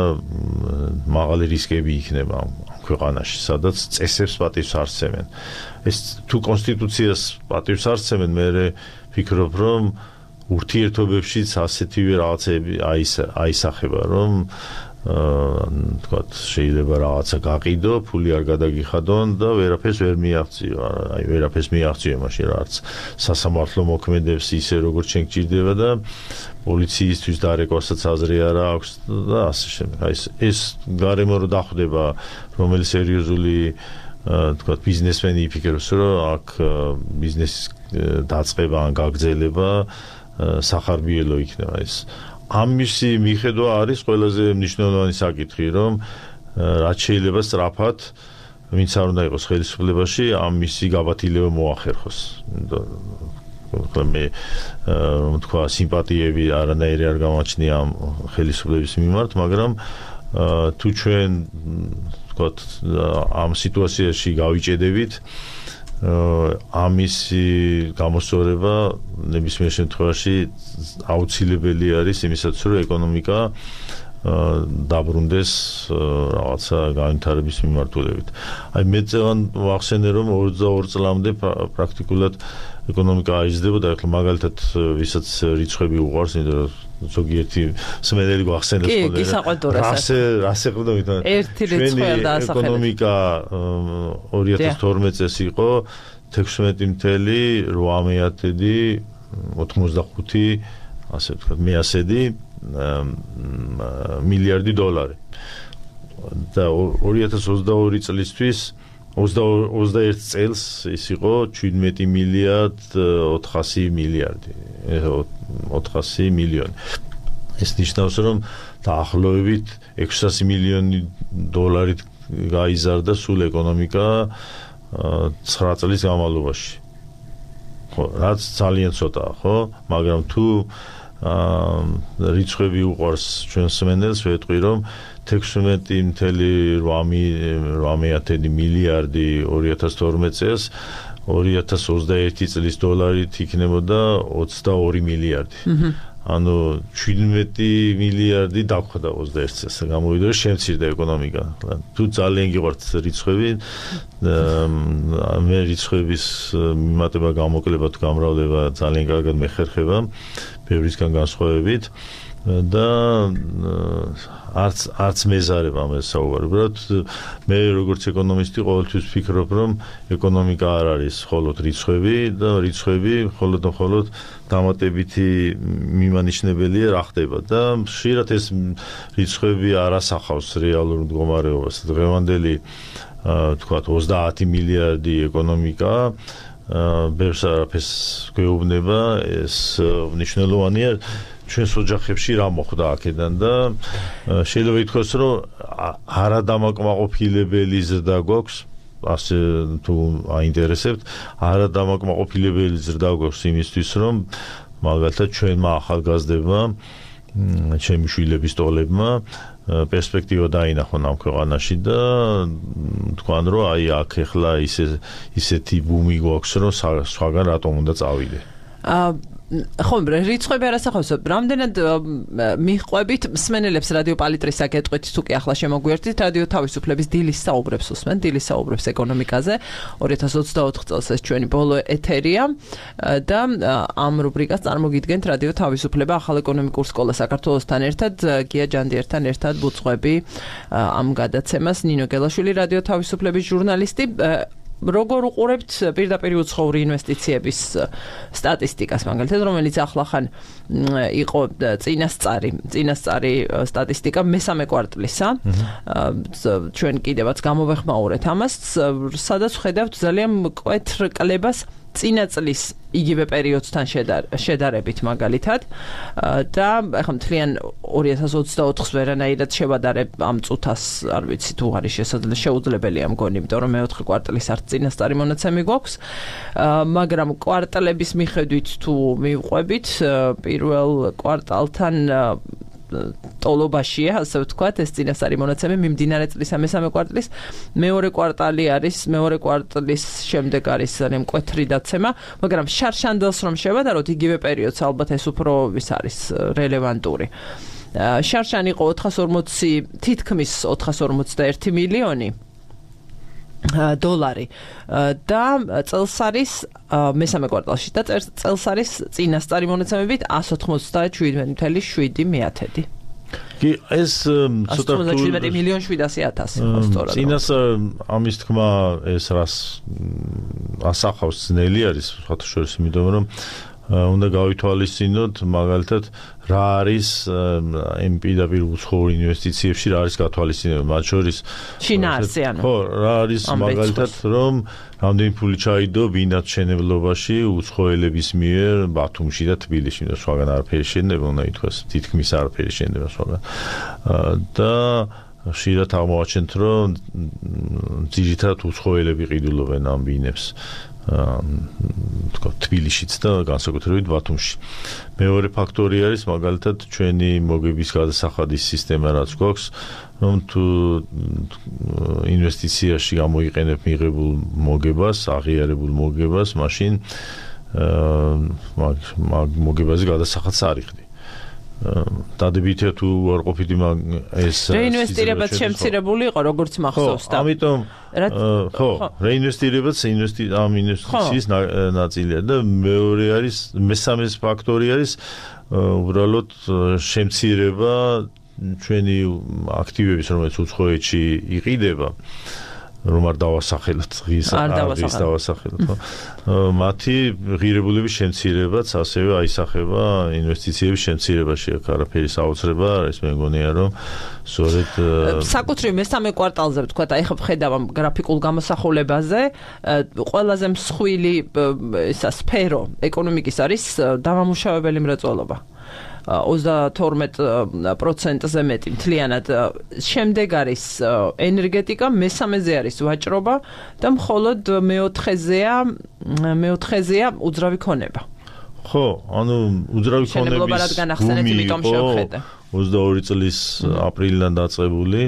მაღალი რისკები იქნება ქვეყანაში, სადაც წესებს პატივს არ სცემენ. ეს თუ კონსტიტუციას პატივს არ სცემენ, მე ვფიქრობ, რომ ურთიერთობებშიც ასეთივე რაღაცები აისახება, რომ თქვათ შეიძლება რაღაცა გაყიდო, ფული არ გადაგიხადონ და ვერაფერს ვერ მიაღწიო, აი ვერაფერს მიაღწიო მაშინ რა არც სასამართლო მოქმედებს ისე როგორც ჩვენ გჭირდება და პოლიციისთვის დარეკვასაც აზრი არ აქვს და ასე შემდეგ. აი ეს გარემო რო დახვდება, რომელიც სერიოზული თქვათ ბიზნესმენი იფიქრებს, რომ აქ ბიზნესის დაწყება ან გაგრძელება სახარბიელო იქნება ეს. ამისი მიხედვა არის ყველაზე მნიშვნელოვანი საკითხი, რომ რაც შეიძლება სწრაფად ვინც არ უნდა იყოს ხელისუფლებაში, ამისი გაბათილება მოახერხოს. მე რომ თქვა სიმპათიები არანაირი არ გამაჩნია ამ ხელისუფლების მიმართ, მაგრამ თუ ჩვენ თქვათ ამ სიტუაციაში გავიჭედებით ამისი გამოსწორება ნებისმიერ შემთხვევაში აუცილებელი არის იმისათვის რომ ეკონომიკა დაბრუნდეს რაღაცა განვითარების მიმართულებით. აი მე წევან ვახსენე რომ ოცდაორი წლამდე პრაქტიკულად ეკონომიკა აიზრდება და ახლა მაგალითად ვისაც რიცხვები უყვარს, იმიტომ რომ ზოგიერთი მსმენელი გვახსენებს ხოლმე. კი, კი, საყვედურასაც. რასე რასე ხვდა ვითომ ერთი რიცხვი არ დაასახელებს. ეკონომიკა ორი ათას თორმეტ წელს იყო თექვსმეტი მცდელი რვა მეათედი ოთხმოცდახუთი ასე ვთქვათ მეასედი მილიარდი დოლარი. და ორი ათას ოცდაორი წლისთვის ოცდაერთი წელს ის იყო შვიდმეტი მილიარდ ოთხასი მილიარდი ოთხასი მილიონი. ეს ნიშნავს რომ დაახლოებით ექვსასი მილიონი დოლარით გაიზარდა სულ ეკონომიკა ცხრა წლის განმავლობაში. ხო, რაც ძალიან ცოტაა, ხო, მაგრამ თუ რიცხვები უყვარს ჩვენს მენელს, ვეტყვი რომ თექვსმეტი virgulă opt მილიარდი ორი ათას თორმეტ წელს ორი ათას ოცდაერთი წლის დოლარით იქნებოდა ოცდაორი მილიარდი. ანუ შვიდმეტი მილიარდი დაგვხვდა ოცდაერთ წელს. გამოვიდა რომ შემცირდა ეკონომიკა. თუ ძალიან გიყვართ რიცხვები, მე რიცხვების მიმატება, გამოკლება თუ გამრავლება ძალიან კარგად მეხერხება, ბევრისგან განსხვავებით და არც არც მეზარება ამას საუბარი. უბრალოდ მე როგორც ეკონომისტი ყოველთვის ვფიქრობ, რომ ეკონომიკა არ არის მხოლოდ რიცხვები და რიცხვები მხოლოდ და მხოლოდ დამატებითი მიმანიშნებელია რა ხდება და ხშირად ეს რიცხვები არ ასახავს რეალურ მდგომარეობას. დღევანდელი თქვათ ოცდაათი მილიარდი ეკონომიკა ბევრს არაფერს გვეუბნება, ეს მნიშვნელოვანია ჩვენს ოჯახებში რა მოხდა აქედან და შეიძლება ითქვას, რომ არადამაკმაყოფილებელი ზრდა გვაქვს, ასე თუ აინტერესებთ, არადამაკმაყოფილებელი ზრდა გვაქვს იმისთვის, რომ მაგალითად ჩვენმა ახალგაზრდებმა, ჩემი შვილების ტოლებმა პერსპექტივა დაინახონ ამ ქვეყანაში და თქვან, რომ აი აქ ახლა ისე ისეთი ბუმი გვაქვს, რომ სხვაგან რატომ უნდა წავიდე. ხო, რიცხვები არ ასახავს. რამდენად მიყვებით მსმენელებს რადიო პალიტრის საკეთყვით, თუ კი ახლა შემოგვიერთდით, რადიო თავისუფლების დილის საუბრებს უსმენ, დილის საუბრებს ეკონომიკაზე. ორი ათას ოცდაოთხ წელს ეს ჩვენი ბოლო ეთერია და ამ რუბრიკას წარმოგიდგენთ რადიო თავისუფლება ახალ ეკონომიკურ სკოლა საქართველოსთან ერთად, გია ჯანდიერთან ერთად ვუძღვები ამ გადაცემას. ნინო გელაშვილი, რადიო თავისუფლების ჟურნალისტი. როგორ უყურებთ პირდაპირ უცხოური ინვესტიციების სტატისტიკას, მაგალითად, რომელიც ახლახან იყო წინასწარი, წინასწარი სტატისტიკა მესამე კვარტლისა. ჩვენ კიდევაც გამოვეხმაურეთ ამას, სადაც ხედავთ ძალიან მკვეთრ კლებას წინა წლის იგივე პერიოდთან შედარებით მაგალითად და ახლა მთლიან ორი ათას ოცდაოთხს ვერანაირად შევადარებ ამ წუთას, არ ვიცი თუ არის შეუძლებელია მგონი, იმიტომ რომ მეოთხე კვარტლის არც წინასწარი მონაცემი გვაქვს, მაგრამ კვარტლების მიხედვით თუ მივყვებით, პირველ კვარტალთან ტოლობაშია, ასე ვთქვათ, ეს წინასწარი მონაცემი მიმდინარე წლის მესამე კვარტლის, მეორე კვარტალი არის, მეორე კვარტლის შემდეგ არის ძალიან მკვეთრი დაცემა, მაგრამ შარშანდელს რომ შევადაროთ იგივე პერიოდს, ალბათ ეს უფრო ის არის რელევანტური. შარშან იყო ოთხას ორმოცი, თითქმის ოთხას ორმოცდაერთი მილიონი დოლარი და წელს არის მესამე კვარტალში და წელს არის წინასწარი მონაცემებით εκατს ოცდაშვიდი virgulă შვიდი მიათედი. კი, ეს ცოტა ოცდაშვიდი მილიონ შვიდასი ათასი ხო სწორად. წინას ამის თქმა ეს რას ასახავს ძნელი არის, სხვათა შორის, იმიტომ რომ უნდა გავითვალისწინოთ მაგალითად რა არის იმ პირდაპირ უცხოურ ინვესტიციებში რა არის გათვალისწინებული, მათ შორის შინაარსი, ანუ ხო, რა არის მაგალითად რომ რამდენი ფული ჩაიდო ბინათ მშენებლობაში უცხოელების მიერ ბათუმში და თბილისში და სხვაგან არაფერი შენება, უნდა ითქვას, თითქმის არაფერი შენება სხვაგან და ხშირად აღმოაჩენთ, რომ ძირითადად უცხოელები ყიდულობენ ამ ბინებს თქვა თბილისშიც და განსაკუთრებით ბათუმში. მეორე ფაქტორი არის მაგალითად ჩვენი მოგების გადასახადის სისტემა, რაც გვაქვს, რომ თუ ინვესტიციაში გამოიყენებ მიღებულ მოგებას, აღიარებულ მოგებას, მაშინ მაგ მოგებაზე გადასახადს არ იხდი. დადებითია თუ არ ყოფიდი ეს რეინვესტირებაც შემცირებული იყო, როგორც მახსოვს და ამიტომ ხო, რეინვესტირებაც ამ ინვესტიციის ნაწილია და მეორე არის, მესამე ფაქტორი არის უბრალოდ შემცირება ჩვენი აქტივების, რომელიც უცხოეთში იყიდება, რომ არ დავასახელოთ ღირს აღის დავასახელოთ, ხო? მათი ღირებულების შემცირებაც ასევე აისახება ინვესტიციების შემცირებაში, აქ არაფერი საოცრება არ არის, მე მგონია, რომ სწორედ საკუთრივ მესამე კვარტალზე ვთქვათ, აი ხა ვხედავ ამ გრაფიკულ გამოსახულებაზე, ყველაზე მსხვილი ისა სფერო ეკონომიკის არის დამამუშავებელი მრეწველობა. ოცდათორმეტ პროცენტზე მეტი მთლიანად. შემდეგ არის ენერგეტიკა, მესამეზე არის ვაჭრობა და მხოლოდ მეოთხეზეა მეოთხეზეა უძრავი ქონება. ხო, ანუ უძრავი ქონების ბუმი იყო ოცდაორი წლის აპრილიდან დაწყებული,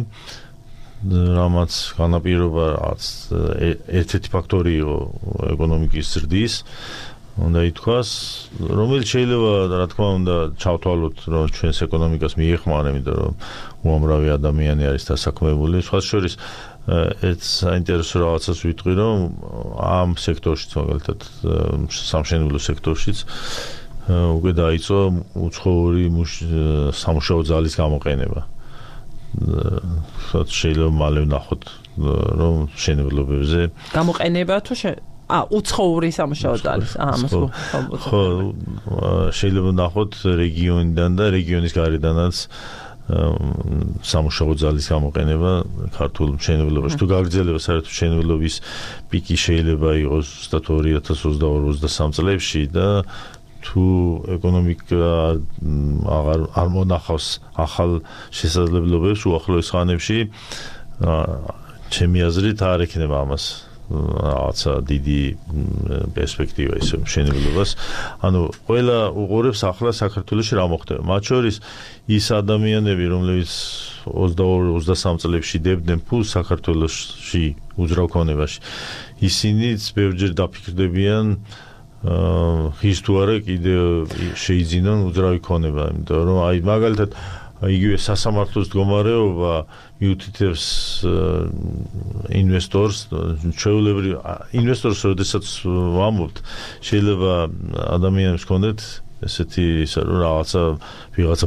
რამაც განაპირობა რაც ერთ-ერთი ფაქტორი იყო ეკონომიკის ზრდის. უნდა ითქვას, რომელიც შეიძლება რა თქმა უნდა ჩავთვალოთ, რომ ჩვენს ეკონომიკას მიეხმარა, იმიტომ რომ უამრავი ადამიანი არის დასაქმებული. სხვა შორის ერთ საინტერესო რაღაცას ვიტყვი, რომ ამ სექტორშიც, მაგალითად სამშენებლო სექტორშიც უკვე დაიწყო უცხოური სამუშაო ძალის გამოყენება. შეიძლება მალე ვნახოთ, რომ მშენებლობებზე გამოყენება თუ ა უცხოური სამუშაო ძალის ამას ხო შეიძლება ვნახოთ რეგიონიდან და რეგიონის გარედანაც სამუშაო ძალის გამოყენება ქართულ მშენებლობაში. თუ გაგრძელება საერთოდ მშენებლობის პიკი შეიძლება იყოს ზუსტად ორი ათას ოცდაორი ოცდასამი წლებში და თუ ეკონომიკა აღარ არ მონახავს ახალ შესაძლებლობებს უახლოეს ხანებში, ჩემი აზრით არ ექნება ამას რაღაცა დიდი პერსპექტივა ისე მშენებლობას. ანუ ყველა უყურებს ახლა საქართველოში რა მოხდება. მათ შორის ის ადამიანები, რომლებიც ოცდაორი ოცდასამი წლებში დებდნენ ფულს საქართველოში უძრავ ქონებაში, ისინიც ბევრჯერ დაფიქრდებიან ხის თუ არა კიდე შეიძინონ უძრავი ქონება, იმიტომ რომ აი მაგალითად იგივე სასამართლოს მდგომარეობა მიუთითებს ინვესტორს, ჩვეულებრივ ინვესტორს როდესაც ვამბობთ, შეიძლება ადამიანებს ჰქონდეთ ესეთი რომ რაღაცა ვიღაცა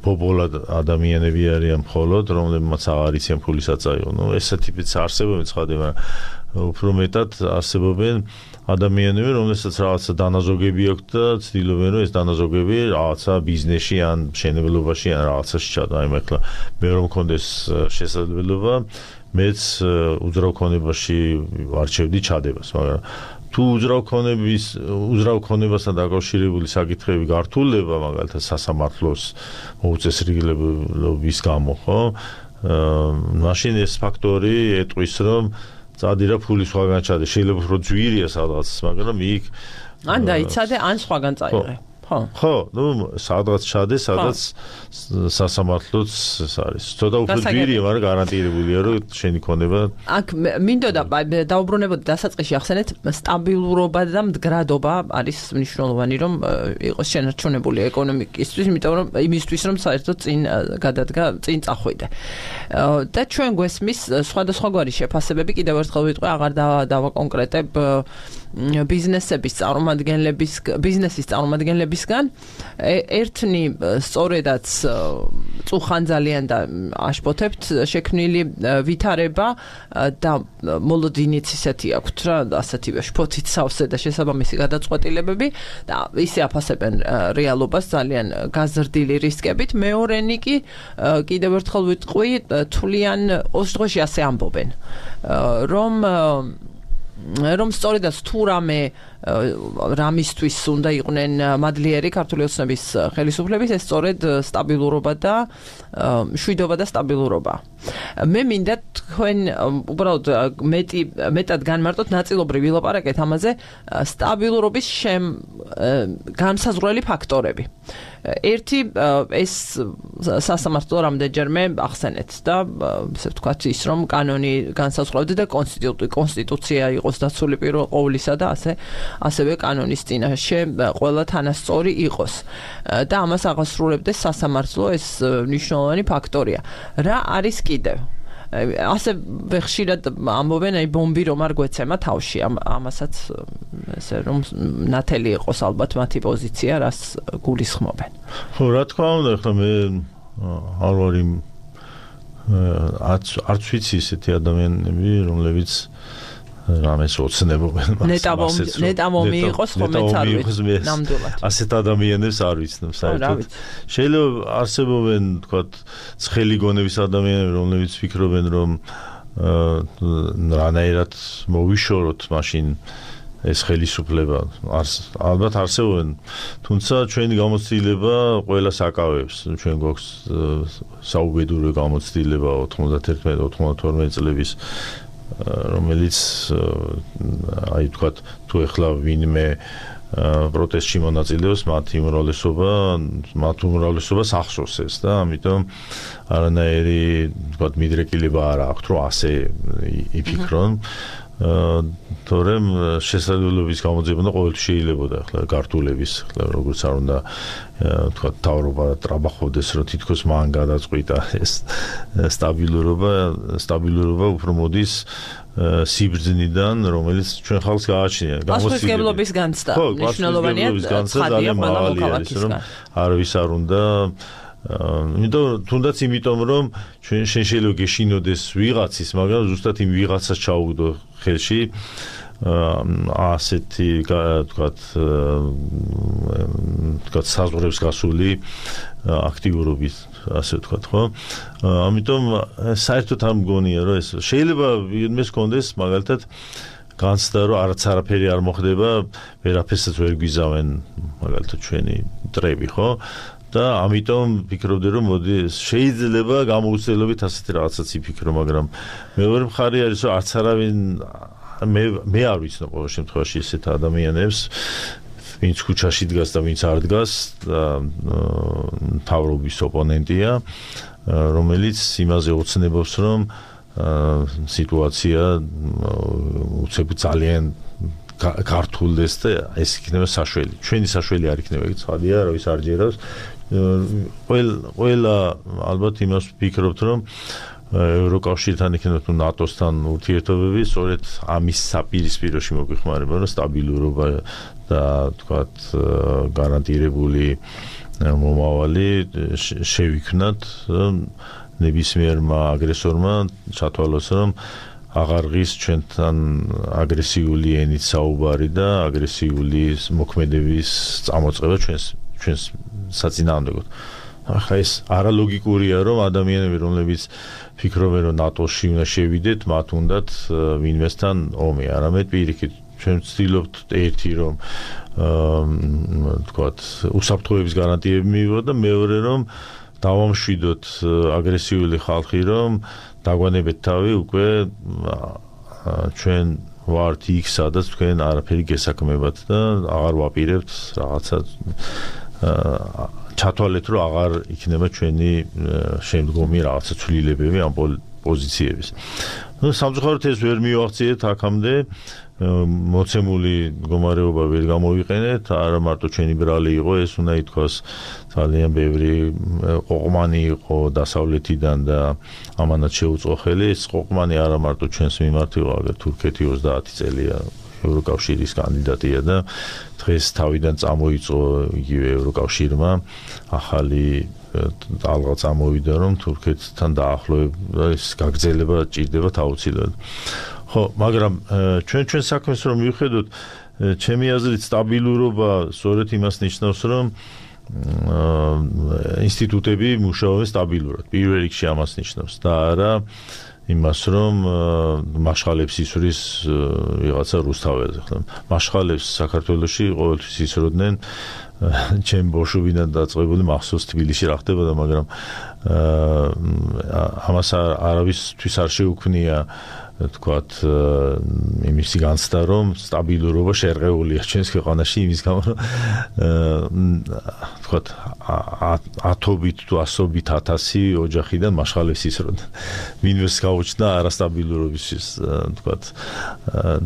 ბობოლად ადამიანები არიან მხოლოდ, რომლებმაც აღარ იციან ფულის აწაიღო. ნუ ესეთი ტიპიც არსებობენ ცხადია, უფრო მეტად არსებობენ ადამიანები, რომელსაც რაღაცა დანაზოგები აქვთ და ცდილობენ, რომ ეს დანაზოგები რაღაცა ბიზნესში ან მშენებლობაში ან რაღაცაში ჩადო. აი მართლა მე რომ მქონდეს შესაძლებლობა, მეც უძრავ ქონებაში ვარჩევდი ჩადებას, მაგრამ თუ უძრავ ქონების უძრავ ქონებასთან დაკავშირებული საკითხები გართულდება, მაგალითად სასამართლოს მოუწესრიგებლობის გამო, ხო? მაშინ ეს ფაქტორი ეტყვის, რომ წადი რა ფული სხვაგან ჩადე, შეიძლება უფრო ძვირია სადღაც, მაგრამ იქ ან დაიცადე, ან სხვაგან წაიღე. ხო. ხო, ნუ სადღაც ჩადე, სადღაც სასამართლოც ეს არის. ცოტა უფრო ძვირია, მაგრამ გარანტირებულია, რომ შენი ქონება. აქ მინდოდა დაუბრუნებოდი დასაწყისში ახსენეთ, სტაბილურობა და მდგრადობა არის მნიშვნელოვანი, რომ იყოს შენარჩუნებული ეკონომიკისთვის, იმიტომ რომ იმისთვის, რომ საერთოდ წინ გადადგა, წინ წახვიდე. და ჩვენ გვესმის სხვადასხვაგვარი შეფასებები, კიდევ ერთხელ ვიტყვი, აღარ დავაკონკრეტებ ბიზნესების წარმომადგენლების ბიზნესის წარმომადგენლებისგან ერთნი სწორედაც წუხან ძალიან და აშფოთებთ შექმნილი ვითარება და მოლოდინიც ისეთი აქვთ რა ასეთივე შფოთით სავსე და შესაბამისი გადაწყვეტილებები და ისე აფასებენ რეალობას ძალიან გაზრდილი რისკებით. მეორენი კი კიდევ ერთხელ ვიტყვი თვლიან ოც დღეში ასე ამბობენ რომ რომ სწორედაც თუ რამე რამისთვის უნდა იყვნენ მადლიერი ქართული ოცნების ხელისუფლების, ეს სწორედ სტაბილურობა და მშვიდობა და სტაბილურობა. მე მინდა თქვენ უბრალოდ მეტი მეტად განმარტოთ, ნაწილობრივ ვილაპარაკეთ ამაზე სტაბილურობის შემ განსაზღვრელი ფაქტორები. ერთი ეს სასამართლო რამდენჯერმე ახსენეთ და ესე ვთქვათ ის რომ კანონი განსაზღვრავდა და კონსტიტუცია იყოს დაცული პირველ ყოვლისა და ასე ასევე კანონის წინაშე ყველა თანასწორი იყოს და ამას აღასრულებდეს სასამართლო, ეს მნიშვნელოვანი ფაქტორია. რა არის კიდევ? ასე ხშირად ამბობენ, აი ბომბი რომ არ გვეცემა თავში, ამასაც ესე რომ ნათელი იყოს ალბათ მათი პოზიცია, რას გულისხმობენ. ხო, რა თქმა უნდა, ახლა მე არ ვარ იმ არც ვიცი ესეთი ადამიანები, რომლებიც რამეს ოცნებობენ მას. ნეტამომი იყოს ხომ მეც არ ვიცი ნამდვილად. ასეთ ადამიანებს არ ვიცნობ საერთოდ. შეიძლება არსებობენ, თქვათ, ცხელი გონების ადამიანები, რომლებიც ფიქრობენ, რომ რანაირად მოვიშოროთ მაშინ ეს ხელისუფლება ალბათ არსებობენ, თუმცა ჩვენი გამოცდილება ყველას აკავებს. ჩვენ გვაქვს საუბედური გამოცდილება ოთხმოცდაერთმეტ ოთხმოცდათორმეტ წლების, რომელიც აი თქვათ თუ ეხლა ვინმე პროტესტში მონაწილეობს, მათი უმრავლესობა, მათ უმრავლესობას ახსოვს და ამიტომ არანაირი თქვათ მიდრეკილება არ აქვს, რომ ასე იფიქრონ. თორემ შესაძლებლობის გამოძებნა ყოველთვის შეიძლებოდა ახლა გართულების, ახლა როგორც არ უნდა თქვათ თავრობა ტრაბახობდეს, რომ თითქოს მან გადაწყვიტა ეს სტაბილურობა, სტაბილურობა უფრო მოდის სიბრძნიდან, რომელიც ჩვენ ხალხს გააჩნია. გამოსცემლობის განცდა. მნიშვნელოვანია ძალიან მაღალი არის, რომ არავის არ უნდა იმიტომ თუნდაც იმიტომ რომ ჩვენ შენ შეიძლება გეშინოდეს ვიღაცის, მაგრამ ზუსტად იმ ვიღაცას ჩაუგდო ხელში ასეთი თქვათ თქვათ საზღვრებს გასული აქტიურობით, ასე ვთქვათ, ხო? ამიტომ საერთოდ არ მგონია რომ ეს შეიძლება იმეს კონდეს მაგალითად განცდა რომ არც არაფერი არ მოხდება, ვერაფერსაც ვერ გვიზავენ მაგალითად ჩვენი ტრები, ხო? და ამიტომ ვფიქრობდი რომ მოდი შეიძლება გამოუცდელობით ასეთი რაღაცაც იფიქრო, მაგრამ მეორე მხარე არის რომ არც არავინ მე მე არ ვიცნობ ყოველ შემთხვევაში ესეთ ადამიანებს, ვინც ქუჩაში დგას და ვინც არ დგას და თავრობის ოპონენტია, რომელიც იმაზე ოცნებობს, რომ სიტუაცია უცებ ძალიან გართულდეს და ეს იქნება საშველი. ჩვენი საშველი არ იქნება, იგი ცხადია, რავის არ ჯერავს. ყველა ალბათ იმას ვფიქრობთ, რომ ევროკავშირთან იქნება თუ ნატოსთან ურთიერთობები, სწორედ ამის საპირისპიროში მოგვიხმარება, რომ სტაბილურობა და თქვათ გარანტირებული მომავალი შევიქმნათ ნებისმიერმა აგრესორმა ჩათვალოს, რომ აღარ ღირს ჩვენთან აგრესიული ენით საუბარი და აგრესიული მოქმედების წამოწყება ჩვენს ჩვენს საწინააღმდეგოდ. ახლა ეს არალოგიკურია, რომ ადამიანები, რომლებიც ფიქრობენ, რომ ნატოში უნდა შევიდეთ, მათ უნდათ ვინმესთან ომი, არამედ პირიქით ჩვენ ვცდილობთ ერთი რომ თქვათ უსაფრთხოების გარანტიები მივიღოთ და მეორე რომ დავამშვიდოთ აგრესიული ხალხი, რომ დაგვანებეთ თავი უკვე ჩვენ ვართ იქ, სადაც თქვენ არაფერი გესაქმებათ და აღარ ვაპირებთ რაღაცა ჩათვალეთ, რომ აღარ იქნება ჩვენი შემდგომი რაღაცა ცვლილებები ამ პოზიციების. ნუ სამწუხაროდ ეს ვერ მივაღწიეთ აქამდე, მოცემული მდგომარეობა ვერ გამოვიყენეთ, არა მარტო ჩვენი ბრალი იყო, ეს უნდა ითქვას ძალიან ბევრი ყოყმანი იყო დასავლეთიდან და ამანაც შეუწყო ხელი. ეს ყოყმანი არა მარტო ჩვენს მიმართ იყო, აგერ თურქეთი ოცდაათი წელია ევროკავშირის კანდიდატია და დღეს თავიდან წამოიწყო იგივე ევროკავშირმა ახალი ალღა წამოვიდა, რომ თურქეთთან დაახლოება ეს გაგრძელება ჭირდება აუცილებლად. ხო, მაგრამ ჩვენ ჩვენ საქმეს რომ მივხედოთ, ჩემი აზრით სტაბილურობა სწორედ იმას ნიშნავს, რომ ინსტიტუტები მუშაობენ სტაბილურად. პირველ რიგში ამას ნიშნავს და არა იმას, რომ მაშხალებს ისვრის ვიღაცა რუსთაველზე. მაშხალებს საქართველოში ყოველთვის ისროდნენ, ჩემ ბოშუბიდან დაწყებული მახსოვს თბილისში რა ხდებოდა, მაგრამ ამას არავისთვის არ შეუქმნია თქვათ იმისი განცდა, რომ სტაბილურობა შერყეულია ჩვენს ქვეყანაში იმის გამო, რომ თქვათ ათობით თუ ასობით ათასი ოჯახიდან მაშხალებს ისროდნენ. ვინმეს გაუჩნდა არასტაბილურობისთვის, თქვათ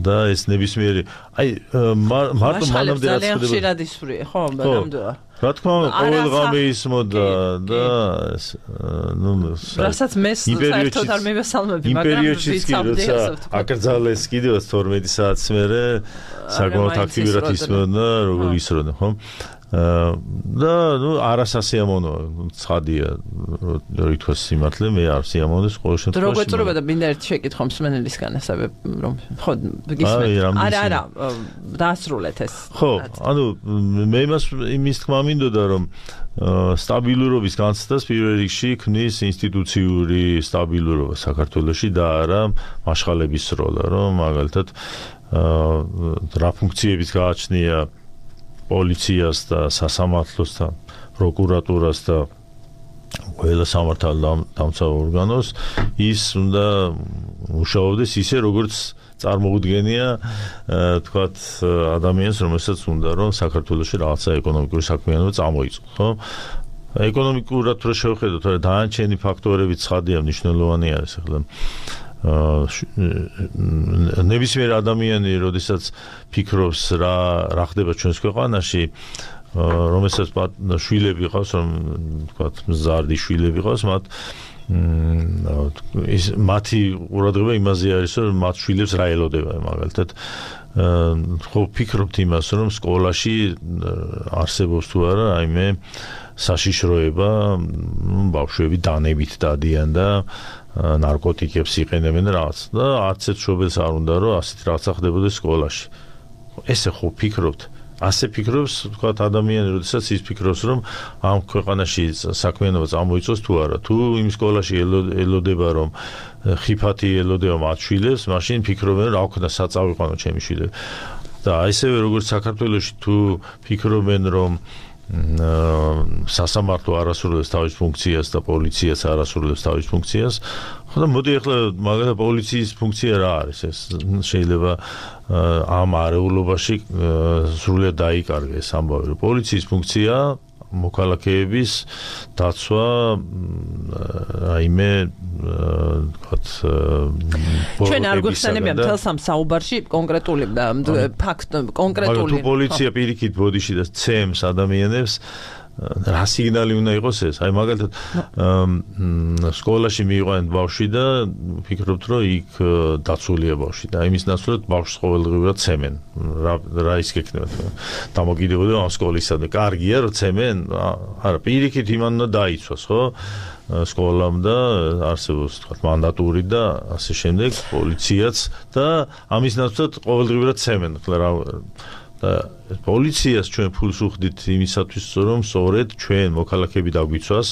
და ეს ნებისმიერი აი მარტო მანამდე რაც ხდება ხშირად ისვრია, ხო, ნამდვილად. რა თქმა უნდა, ყოველ ღამე ისმოდა და ნუ რასაც მე საერთოდ არ მივესალმები, მაგრამ ვიცავდი აკრძალეს კიდევ თორმეტი საათს მერე საკმაოდ აქტიურად ისმოდა, როგორ ისროდა, ხო? და ნუ არასასიამოვნოა, ცხადია, რომ ითქვას სიმართლე, მე არ სიამოვნებს ყოველ შემთხვევაში. როგორ ეწურება და მინდა ერთი შეკითხვა მსმენელისგან ასევე, რომ ხო გისმენთ. არა, არა, დაასრულეთ ეს. ხო, ანუ მე იმას იმის თქმა მინდოდა, რომ სტაბილურობის განცდას პირველ რიგში ქმნის ინსტიტუციური სტაბილურობა საქართველოში და არა მაშხალების როლა, რომ მაგალითად რა ფუნქციებით გააჩნია პოლიციას და სასამართლოს და პროკურატურას და ყველა სამართალდამცავ ორგანოს ის უნდა მუშაობდეს ისე როგორც წარმოუდგენია თქვათ ადამიანს რომელსაც უნდა რომ საქართველოში რაღაცა ეკონომიკური საქმიანობა წამოიწყოს ხო ეკონომიკურად რო შევხედოთ რა დანარჩენი ფაქტორები ცხადია მნიშვნელოვანი არის ახლა ნებისმიერ ადამიანი როდესაც ფიქრობს რა რა ხდება ჩვენს ქვეყანაში რომელსაც შვილები ყავს რომ თქვათ მზარდი შვილები ყავს მათ ის მათი ყურადღება იმაზე არის რომ მათ შვილებს რა ელოდება მაგალითად ხო ფიქრობთ იმას რომ სკოლაში არსებობს თუ არა აიმე საშიშროება ბავშვები დანებით დადიან და ნარკოტიკებს იყენებენ რაღაც და არც ერთ შობელს არ უნდა რომ ასეთ რაღაცა ხდებოდეს სკოლაში ესე ხო ფიქრობთ ასე ფიქრობს თქვათ ადამიანი როდესაც ის ფიქრობს რომ ამ ქვეყანაში საქმიანობა წამოიწოს თუ არა თუ იმ სკოლაში ელოდება რომ ხიფათი ელოდება მათ შვილებს მაშინ ფიქრობენ რა ქნა საწავიყვანო ჩემი შვილები და ისევე როგორც საქართველოში თუ ფიქრობენ რომ სასამართლო არასრულებს თავის ფუნქციას და პოლიციაც არასრულებს თავის ფუნქციას ხოდა მოდი ახლა მაგალითად პოლიციის ფუნქცია რა არის ეს შეიძლება ამ არეულობაში სრულიად დაიკარგეს ამბავი რომ პოლიციის ფუნქცია მოქალაქეების დაცვა რაიმე ვთქვათ ჩვენ არ გვეხსენებია მთელ სამ საუბარში კონკრეტული ფაქტ კონკრეტული თუ პოლიცია პირიქით ბოდიში და ცემს ადამიანებს რა სიგნალი უნდა იყოს ეს აი მაგალითად სკოლაში მიიყვანეთ ბავშვი და ფიქრობთ რომ იქ დაცულია ბავშვი და იმის ნაცვლად ბავშვს ყოველდღიურად ცემენ რა რა ის გექნება დამოკიდებულება ამ სკოლისა და კარგია რომ ცემენ არა პირიქით იმან უნდა დაიცვას ხო სკოლამ და არსებობს თქვა მანდატური და ასე შემდეგ პოლიციაც და ამის ნაცვლად ყოველდღიურად ცემენ რა და პოლიციას ჩვენ ფულს უხდით იმისათვის რომ სწორედ ჩვენ მოქალაქეები დაგვიცვას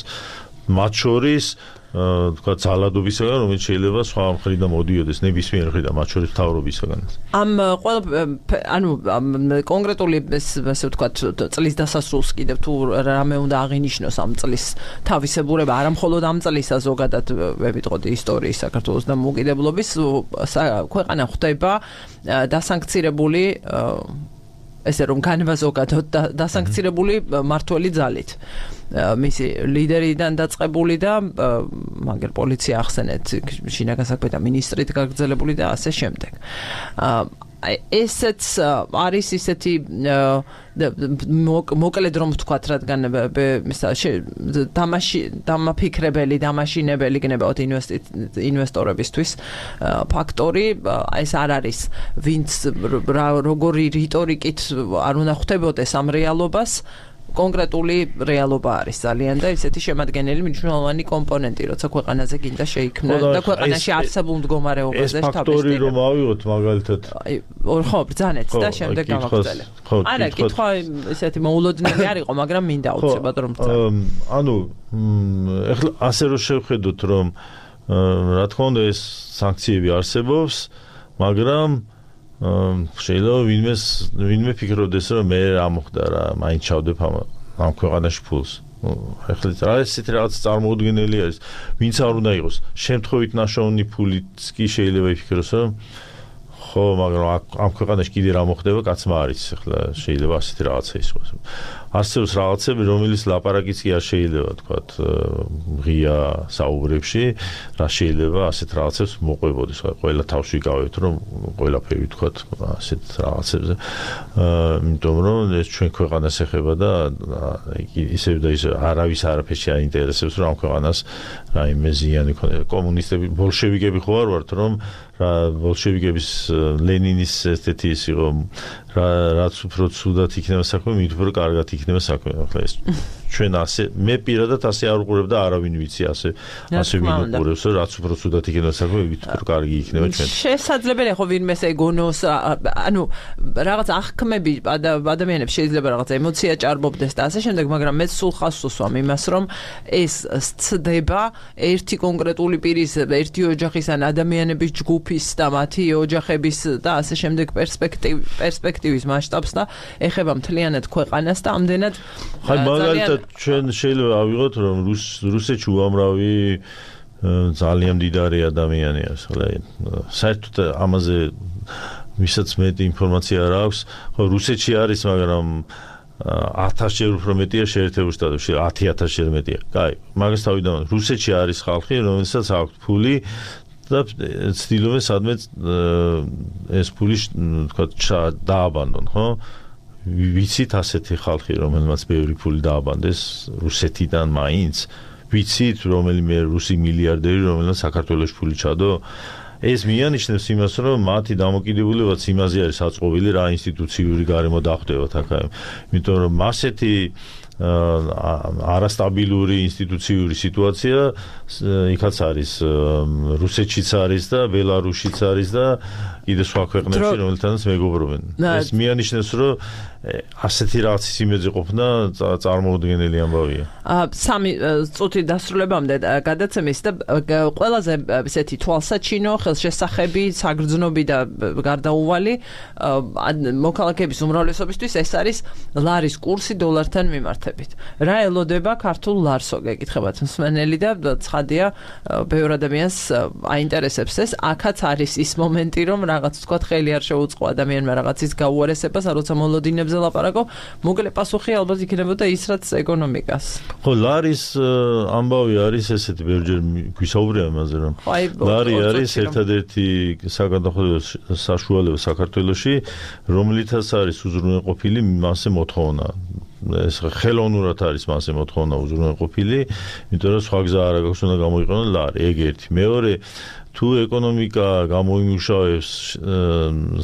მათ შორის თქვა ძალადობისაგან რომელიც შეიძლება სხვა მხრიდან მოდიოდეს ნებისმიერ მხრიდან მათ შორის მთავრობისაგან ამ ყველა ანუ კონკრეტული ასე ვთქვა წლის დასასრულს კიდევ თუ რამე უნდა აღინიშნოს ამ წლის თავისებურება არა მხოლოდ ამ წლისა ზოგადად ვეპიტყოდი ისტორიის საქართველოს და მოკიდებლობის ქვეყანა ხდება დასანქცირებული ესე რომ განვაზოგადოთ დასანქცირებული მართველი ძალით მისი ლიდერიდან დაწყებული და მაგერ პოლიცია ახსენეთ შინაგან საქმეთა მინისტრით გაგრძელებული და ასე შემდეგ ესეც არის ისეთი მოკლედ რომ ვთქვათ რადგან დამაში დამაფიქრებელი დამაშინებელი გნებავთ ინვესტორებისთვის ფაქტორი ეს არ არის ვინც როგორი რიტორიკით არ უნდა ხვდებოდეს ამ რეალობას კონკრეტული რეალობა არის ძალიან და ისეთი შემადგენელი მნიშვნელოვანი კომპონენტი როცა ქვეყანაზე გინდა შეიქმნა და ქვეყანაში არსებულ მდგომარეობაზე ეს ფაქტორი რომ ავიღოთ მაგალითად ხო ბრძანეთ და შემდეგ გავაგრძელებ არა კითხვა ესეთი მოულოდნელი არ იყო მაგრამ მინდა აუცილებლად რომ ბრძანო ანუ ეხლა ასე რომ შევხედოთ რომ რა თქმა უნდა ეს სანქციები არსებობს მაგრამ შეიძლება ვინმე ვინმე ფიქრობდეს რომ მე რა მოხდა რა მაინც ჩავდებ ამ ამ ქვეყანაში ფულს ეხლა რა ესეთი რაღაც წარმოუდგენელი არის ვინც არ უნდა იყოს შემთხვევით ნაშოვნი ფულიც კი შეიძლება იფიქროს რომ ხო მაგრამ ამ ქვეყანაში კიდე რა მოხდება კაცმა არის ეხლა შეიძლება ასეთი რაღაცა იყოს არსებობს რაღაცები რომელიც ლაპარაკიც კი არ შეიძლება თქვათ ღია საუბრებში რა შეიძლება ასეთ რაღაცებს მოყვებოდეს ყველა თავს ვიკავებთ რომ ყველაფერი თქვათ ასეთ რაღაცებზე იმიტომ რომ ეს ჩვენ ქვეყანას ეხება და ისევ და ისევ არავის არაფერში არ ინტერესებს რომ ამ ქვეყანას რაიმე ზიანი ქონდეს კომუნისტები ბოლშევიკები ხო არ ვართ რომ რა ბოლშევიკების ლენინის ესეთი ის იყო რა რაც უფრო ცუდად იქნება საქმე მით უფრო კარგად იქნება საქმე ახლა ეს ჩვენ ასე მე პირადად ასე არ უყურებ და არავინ ვიცი ასე ასე ვინ უყურებს რაც უფრო ცუდად იქნება საქმე ვით უფრო კარგი იქნება ჩვენ შესაძლებელია ხო ვინმეს ეგონოს ანუ რაღაც აღქმები ადამიანებს შეიძლება რაღაც ემოცია ჭარბობდეს და ასე შემდეგ მაგრამ მე სულ ხას ვსვამ იმას რომ ეს სცდება ერთი კონკრეტული პირის ერთი ოჯახის ან ადამიანების ჯგუფის და მათი ოჯახების და ასე შემდეგ პერსპექტივ პერსპექტივის მასშტაბს და ეხება მთლიანად ქვეყანას და ამდენად ხაი მაგალითად ჩვენ შეიძლება ავიღოთ რომ რუსეთში უამრავი ძალიან მდიდარი ადამიანია ხოლმე საერთოდ ამაზე ვისაც მეტი ინფორმაცია არ აქვს ხო რუსეთში არის მაგრამ ათასჯერ უფრო მეტია შეერთებულ შტატებში ათი ათასჯერ მეტია კაი მაგას თავიდან რუსეთში არის ხალხი რომელსაც აქვს ფული და ცდილობენ სადმე ეს ფული თქვა დააბანდონ ხო ვიცით ასეთი ხალხი რომელმაც ბევრი ფული დააბანდეს რუსეთიდან მაინც ვიცით რომელიმე რუსი მილიარდერი რომელმაც საქართველოში ფული ჩადო ეს მიანიშნებს იმას რომ მათი დამოკიდებულებაც იმაზე არის საწყობილი რა ინსტიტუციური გარემო დახვდებათ აქ იმიტომ რომ ასეთი არასტაბილური ინსტიტუციური სიტუაცია იქაც არის რუსეთშიც არის და ბელარუსშიც არის და კიდე სხვა ქვეყნებში რომელთანაც მეგობრობენ ეს მიანიშნებს რომ ასეთი რაღაცის იმედზე ყოფნა წარმოუდგენელი ამბავია სამი წუთი დასრულებამდე გადაცემის და ყველაზე ესეთი თვალსაჩინო ხელშესახები საგრძნობი და გარდაუვალი მოქალაქეების უმრავლესობისთვის ეს არის ლარის კურსი დოლართან მიმართებით რა ელოდება ქართულ ლარსო გეკითხებათ მსმენელი და ცხადია ბევრ ადამიანს აინტერესებს ეს აქაც არის ის მომენტი რომ რაღაც თქვა ხელი არ შეუწყო ადამიანმა რაღაცის გაუარესებას როცა მოლოდინებზე ლაპარაკო მოკლე პასუხი ალბათ იქნებოდა ის რაც ეკონომიკას ხო ლარის ამბავი არის ესეთი ბევრჯერ გვისაუბრია ამაზე რომ ლარი არის ერთადერთი საგადახდო საშუალება საქართველოში რომლითაც არის უზრუნველყოფილი მასე მოთხოვნა ეს ხელოვნურად არის მასე მოთხოვნა უზრუნველყოფილი იმიტომ რომ სხვა გზა არ აქვს უნდა გამოიყენონ ლარი ეგ ერთი მეორე თუ ეკონომიკა გამოიმუშავებს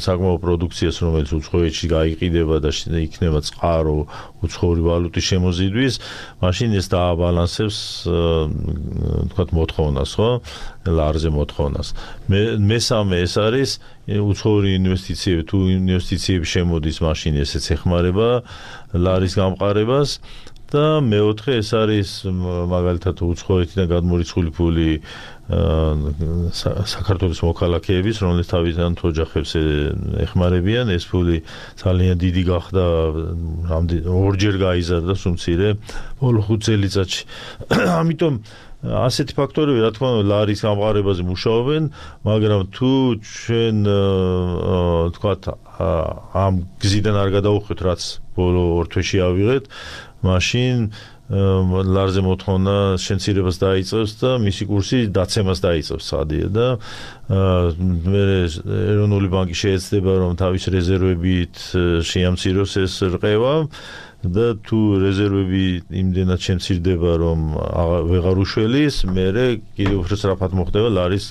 საკმაო პროდუქციას რომელიც უცხოეთში გაიყიდება და იქნება წყარო უცხოური ვალუტის შემოზიდვის მაშინ ეს დააბალანსებს თქვათ მოთხოვნას ხო ლარზე მოთხოვნას მესამე ეს არის უცხოური ინვესტიციები თუ ინვესტიციები შემოდის მაშინ ესეც ეხმარება ლარის გამყარებას და მეოთხე ეს არის მაგალითად უცხოეთიდან გადმორიცხული ფული საქართველოს მოქალაქეების რომლის თავიდან ოჯახებს ეხმარებიან ეს ფული ძალიან დიდი გახდა ორჯერ გაიზარდა სუმცირე ბოლო ხუთ წელიწადში ამიტომ ასეთი ფაქტორები რა თქმა უნდა ლარის გამყარებაზე მუშაობენ მაგრამ თუ ჩვენ თქვათ ამ გზიდან არ გადავუხვით რაც ბოლო ორ თვეში ავიღეთ მაშინ ლარზე მოთხოვნა შემცირებას დაიწყებს და მისი კურსი დაცემას დაიწყებს სადია და მე ეროვნული ბანკი შეეცდება რომ თავის რეზერვებით შეამციროს ეს რყევა და თუ რეზერვები იმდენად შემცირდება რომ ვეღარ უშველის მერე კიდევ უფრო სწრაფად მოხდება ლარის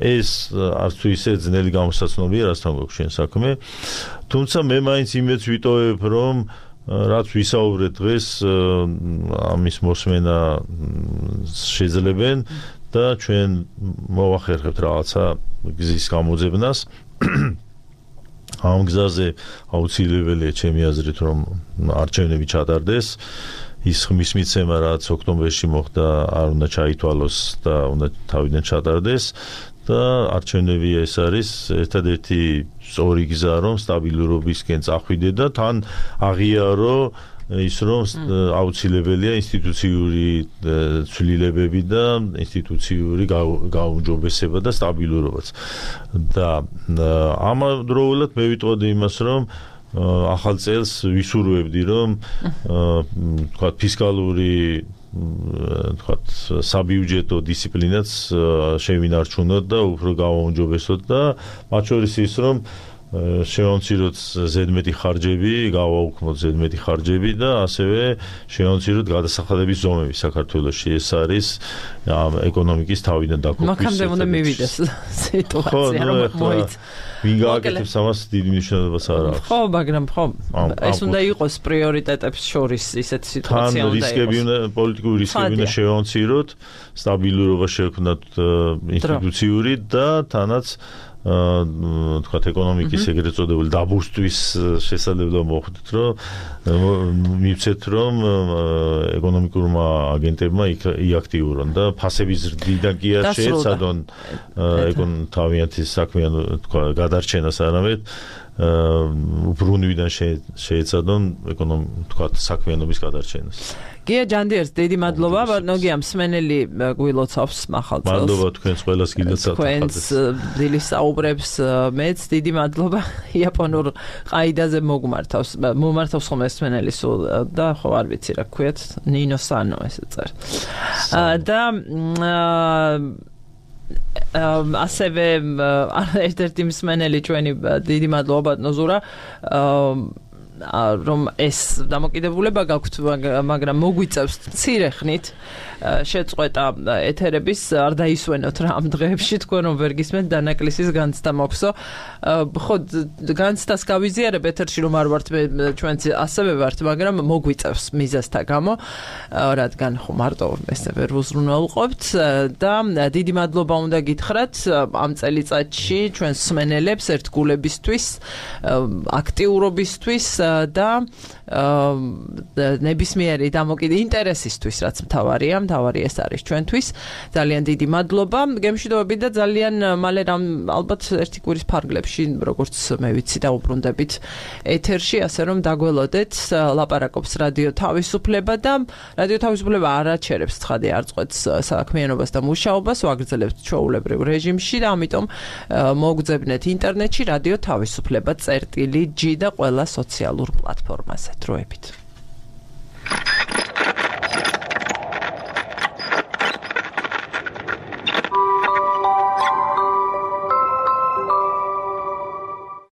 ეს არც თუ ისე ძნელი გამოსაცნობია რასთან გვაქვს შენ საქმე თუმცა მე მაინც იმედს ვიტოვებ რომ რაც ვისაუბრეთ დღეს ამის მოსმენა შეძლებენ და ჩვენ მოვახერხებთ რაღაცა გზის გამოძებნას ამ გზაზე აუცილებელია ჩემი აზრით რომ არჩევნები ჩატარდეს ის ხმის მიცემა რაც ოქტომბერში მოხდა არ უნდა ჩაითვალოს და უნდა თავიდან ჩატარდეს და არჩევნები ეს არის ერთადერთი სწორი გზა რომ სტაბილურობისკენ წახვიდე და თან აღიარო ის რომ აუცილებელია ინსტიტუციური ცვლილებები და ინსტიტუციური გაუმჯობესება და სტაბილურობაც და ამავდროულად მე ვიტყოდი იმას რომ ახალ წელს ვისურვებდი რომ თქვა ფისკალური თქვათ საბიუჯეტო დისციპლინაც შევინარჩუნოთ და უფრო გავაუმჯობესოთ და მათ შორის ის რომ შევამციროთ ზედმეტი ხარჯები, გავაუქმოთ ზედმეტი ხარჯები და ასევე შევამციროთ გადასახადების ზომები საქართველოში. ეს არის ეკონომიკის თავიდან დაყოფის. მაგამდე უნდა მივიდეს სიტუაცია, რომ მოიც ვინ გააკეთებს ამას დიდი მნიშვნელობას არ აქვს. ხო, მაგრამ ხო, ეს უნდა იყოს პრიორიტეტებს შორის ისეთი სიტუაცია უნდა იყოს. თან რისკები უნდა, პოლიტიკური რისკები უნდა შევამციროთ, სტაბილურობა შევქმნათ ინსტიტუციური და თანაც თქვათ ეკონომიკის ეგრეთ წოდებული დაბურსტვის შესაძლებლობა მოხდით, რომ მივცეთ, რომ ეკონომიკურმა აგენტებმა იაქტიურონ და ფასების ზრდიდან კი არ შეეცადონ თავიანთი საქმიანი თქვა გადარჩენას, არამედ უბრუნვიდან შეეცადონ თქვათ საქმიანობის გადარჩენას. გია ჯანდიერს დიდი მადლობა, ბატონო მსმენელი გვილოცავს მახალ წელს. მადლობა თქვენს ყველას გილოცავთ. თქვენს დილის საუბრებს მეც დიდი მადლობა. იაპონურ ყაიდაზე მოგმართავს, მომართავს ხოლმე მსმენელი სულ და ხო არ ვიცი რა ქვიათ, ნინო სანო ესე წერ. და ასევე ერთ-ერთი მსმენელი ჩვენი დიდი მადლობა ბატონო ზურა რომ ეს დამოკიდებულება გაქვთ, მაგრამ მოგვიწევს მცირე ხნით შეწყვეტა ეთერების, არ დაისვენოთ რა ამ დღეებში, თქვენ რომ ვერ გისმენთ დანაკლისის განცდა მოქვსო. ხო, განცდას გავიზიარებ ეთერში, რომ არ ვართ ჩვენც ასევე ვართ, მაგრამ მოგვიწევს მიზეზთა გამო, რადგან ხო მარტო ესე ვერ ვუზრუნველყოფთ და დიდი მადლობა უნდა გითხრათ ამ წელიწადში ჩვენს მსმენელებს ერთგულებისთვის, აქტიურობისთვის და ნებისმიერი დამოკიდებული ინტერესისთვის, რაც მთავარია, მთავარი ეს არის ჩვენთვის. ძალიან დიდი მადლობა. გემშვიდობებით და ძალიან მალე ალბათ ერთი კვირის ფარგლებში, როგორც მე ვიცი, დაუბრუნდებით ეთერში, ასე რომ დაგველოდეთ, ლაპარაკობს რადიო თავისუფლება და რადიო თავისუფლება არ აჩერებს ცხადი არ წყვეტს საქმიანობას და მუშაობას, ვაგრძელებთ ჩვეულებრივ რეჟიმში და ამიტომ მოგძებნეთ ინტერნეტში რადიო თავისუფლება წერტილი ჯი და ყველა სოციალურ პლატფორმაზე. დროებით.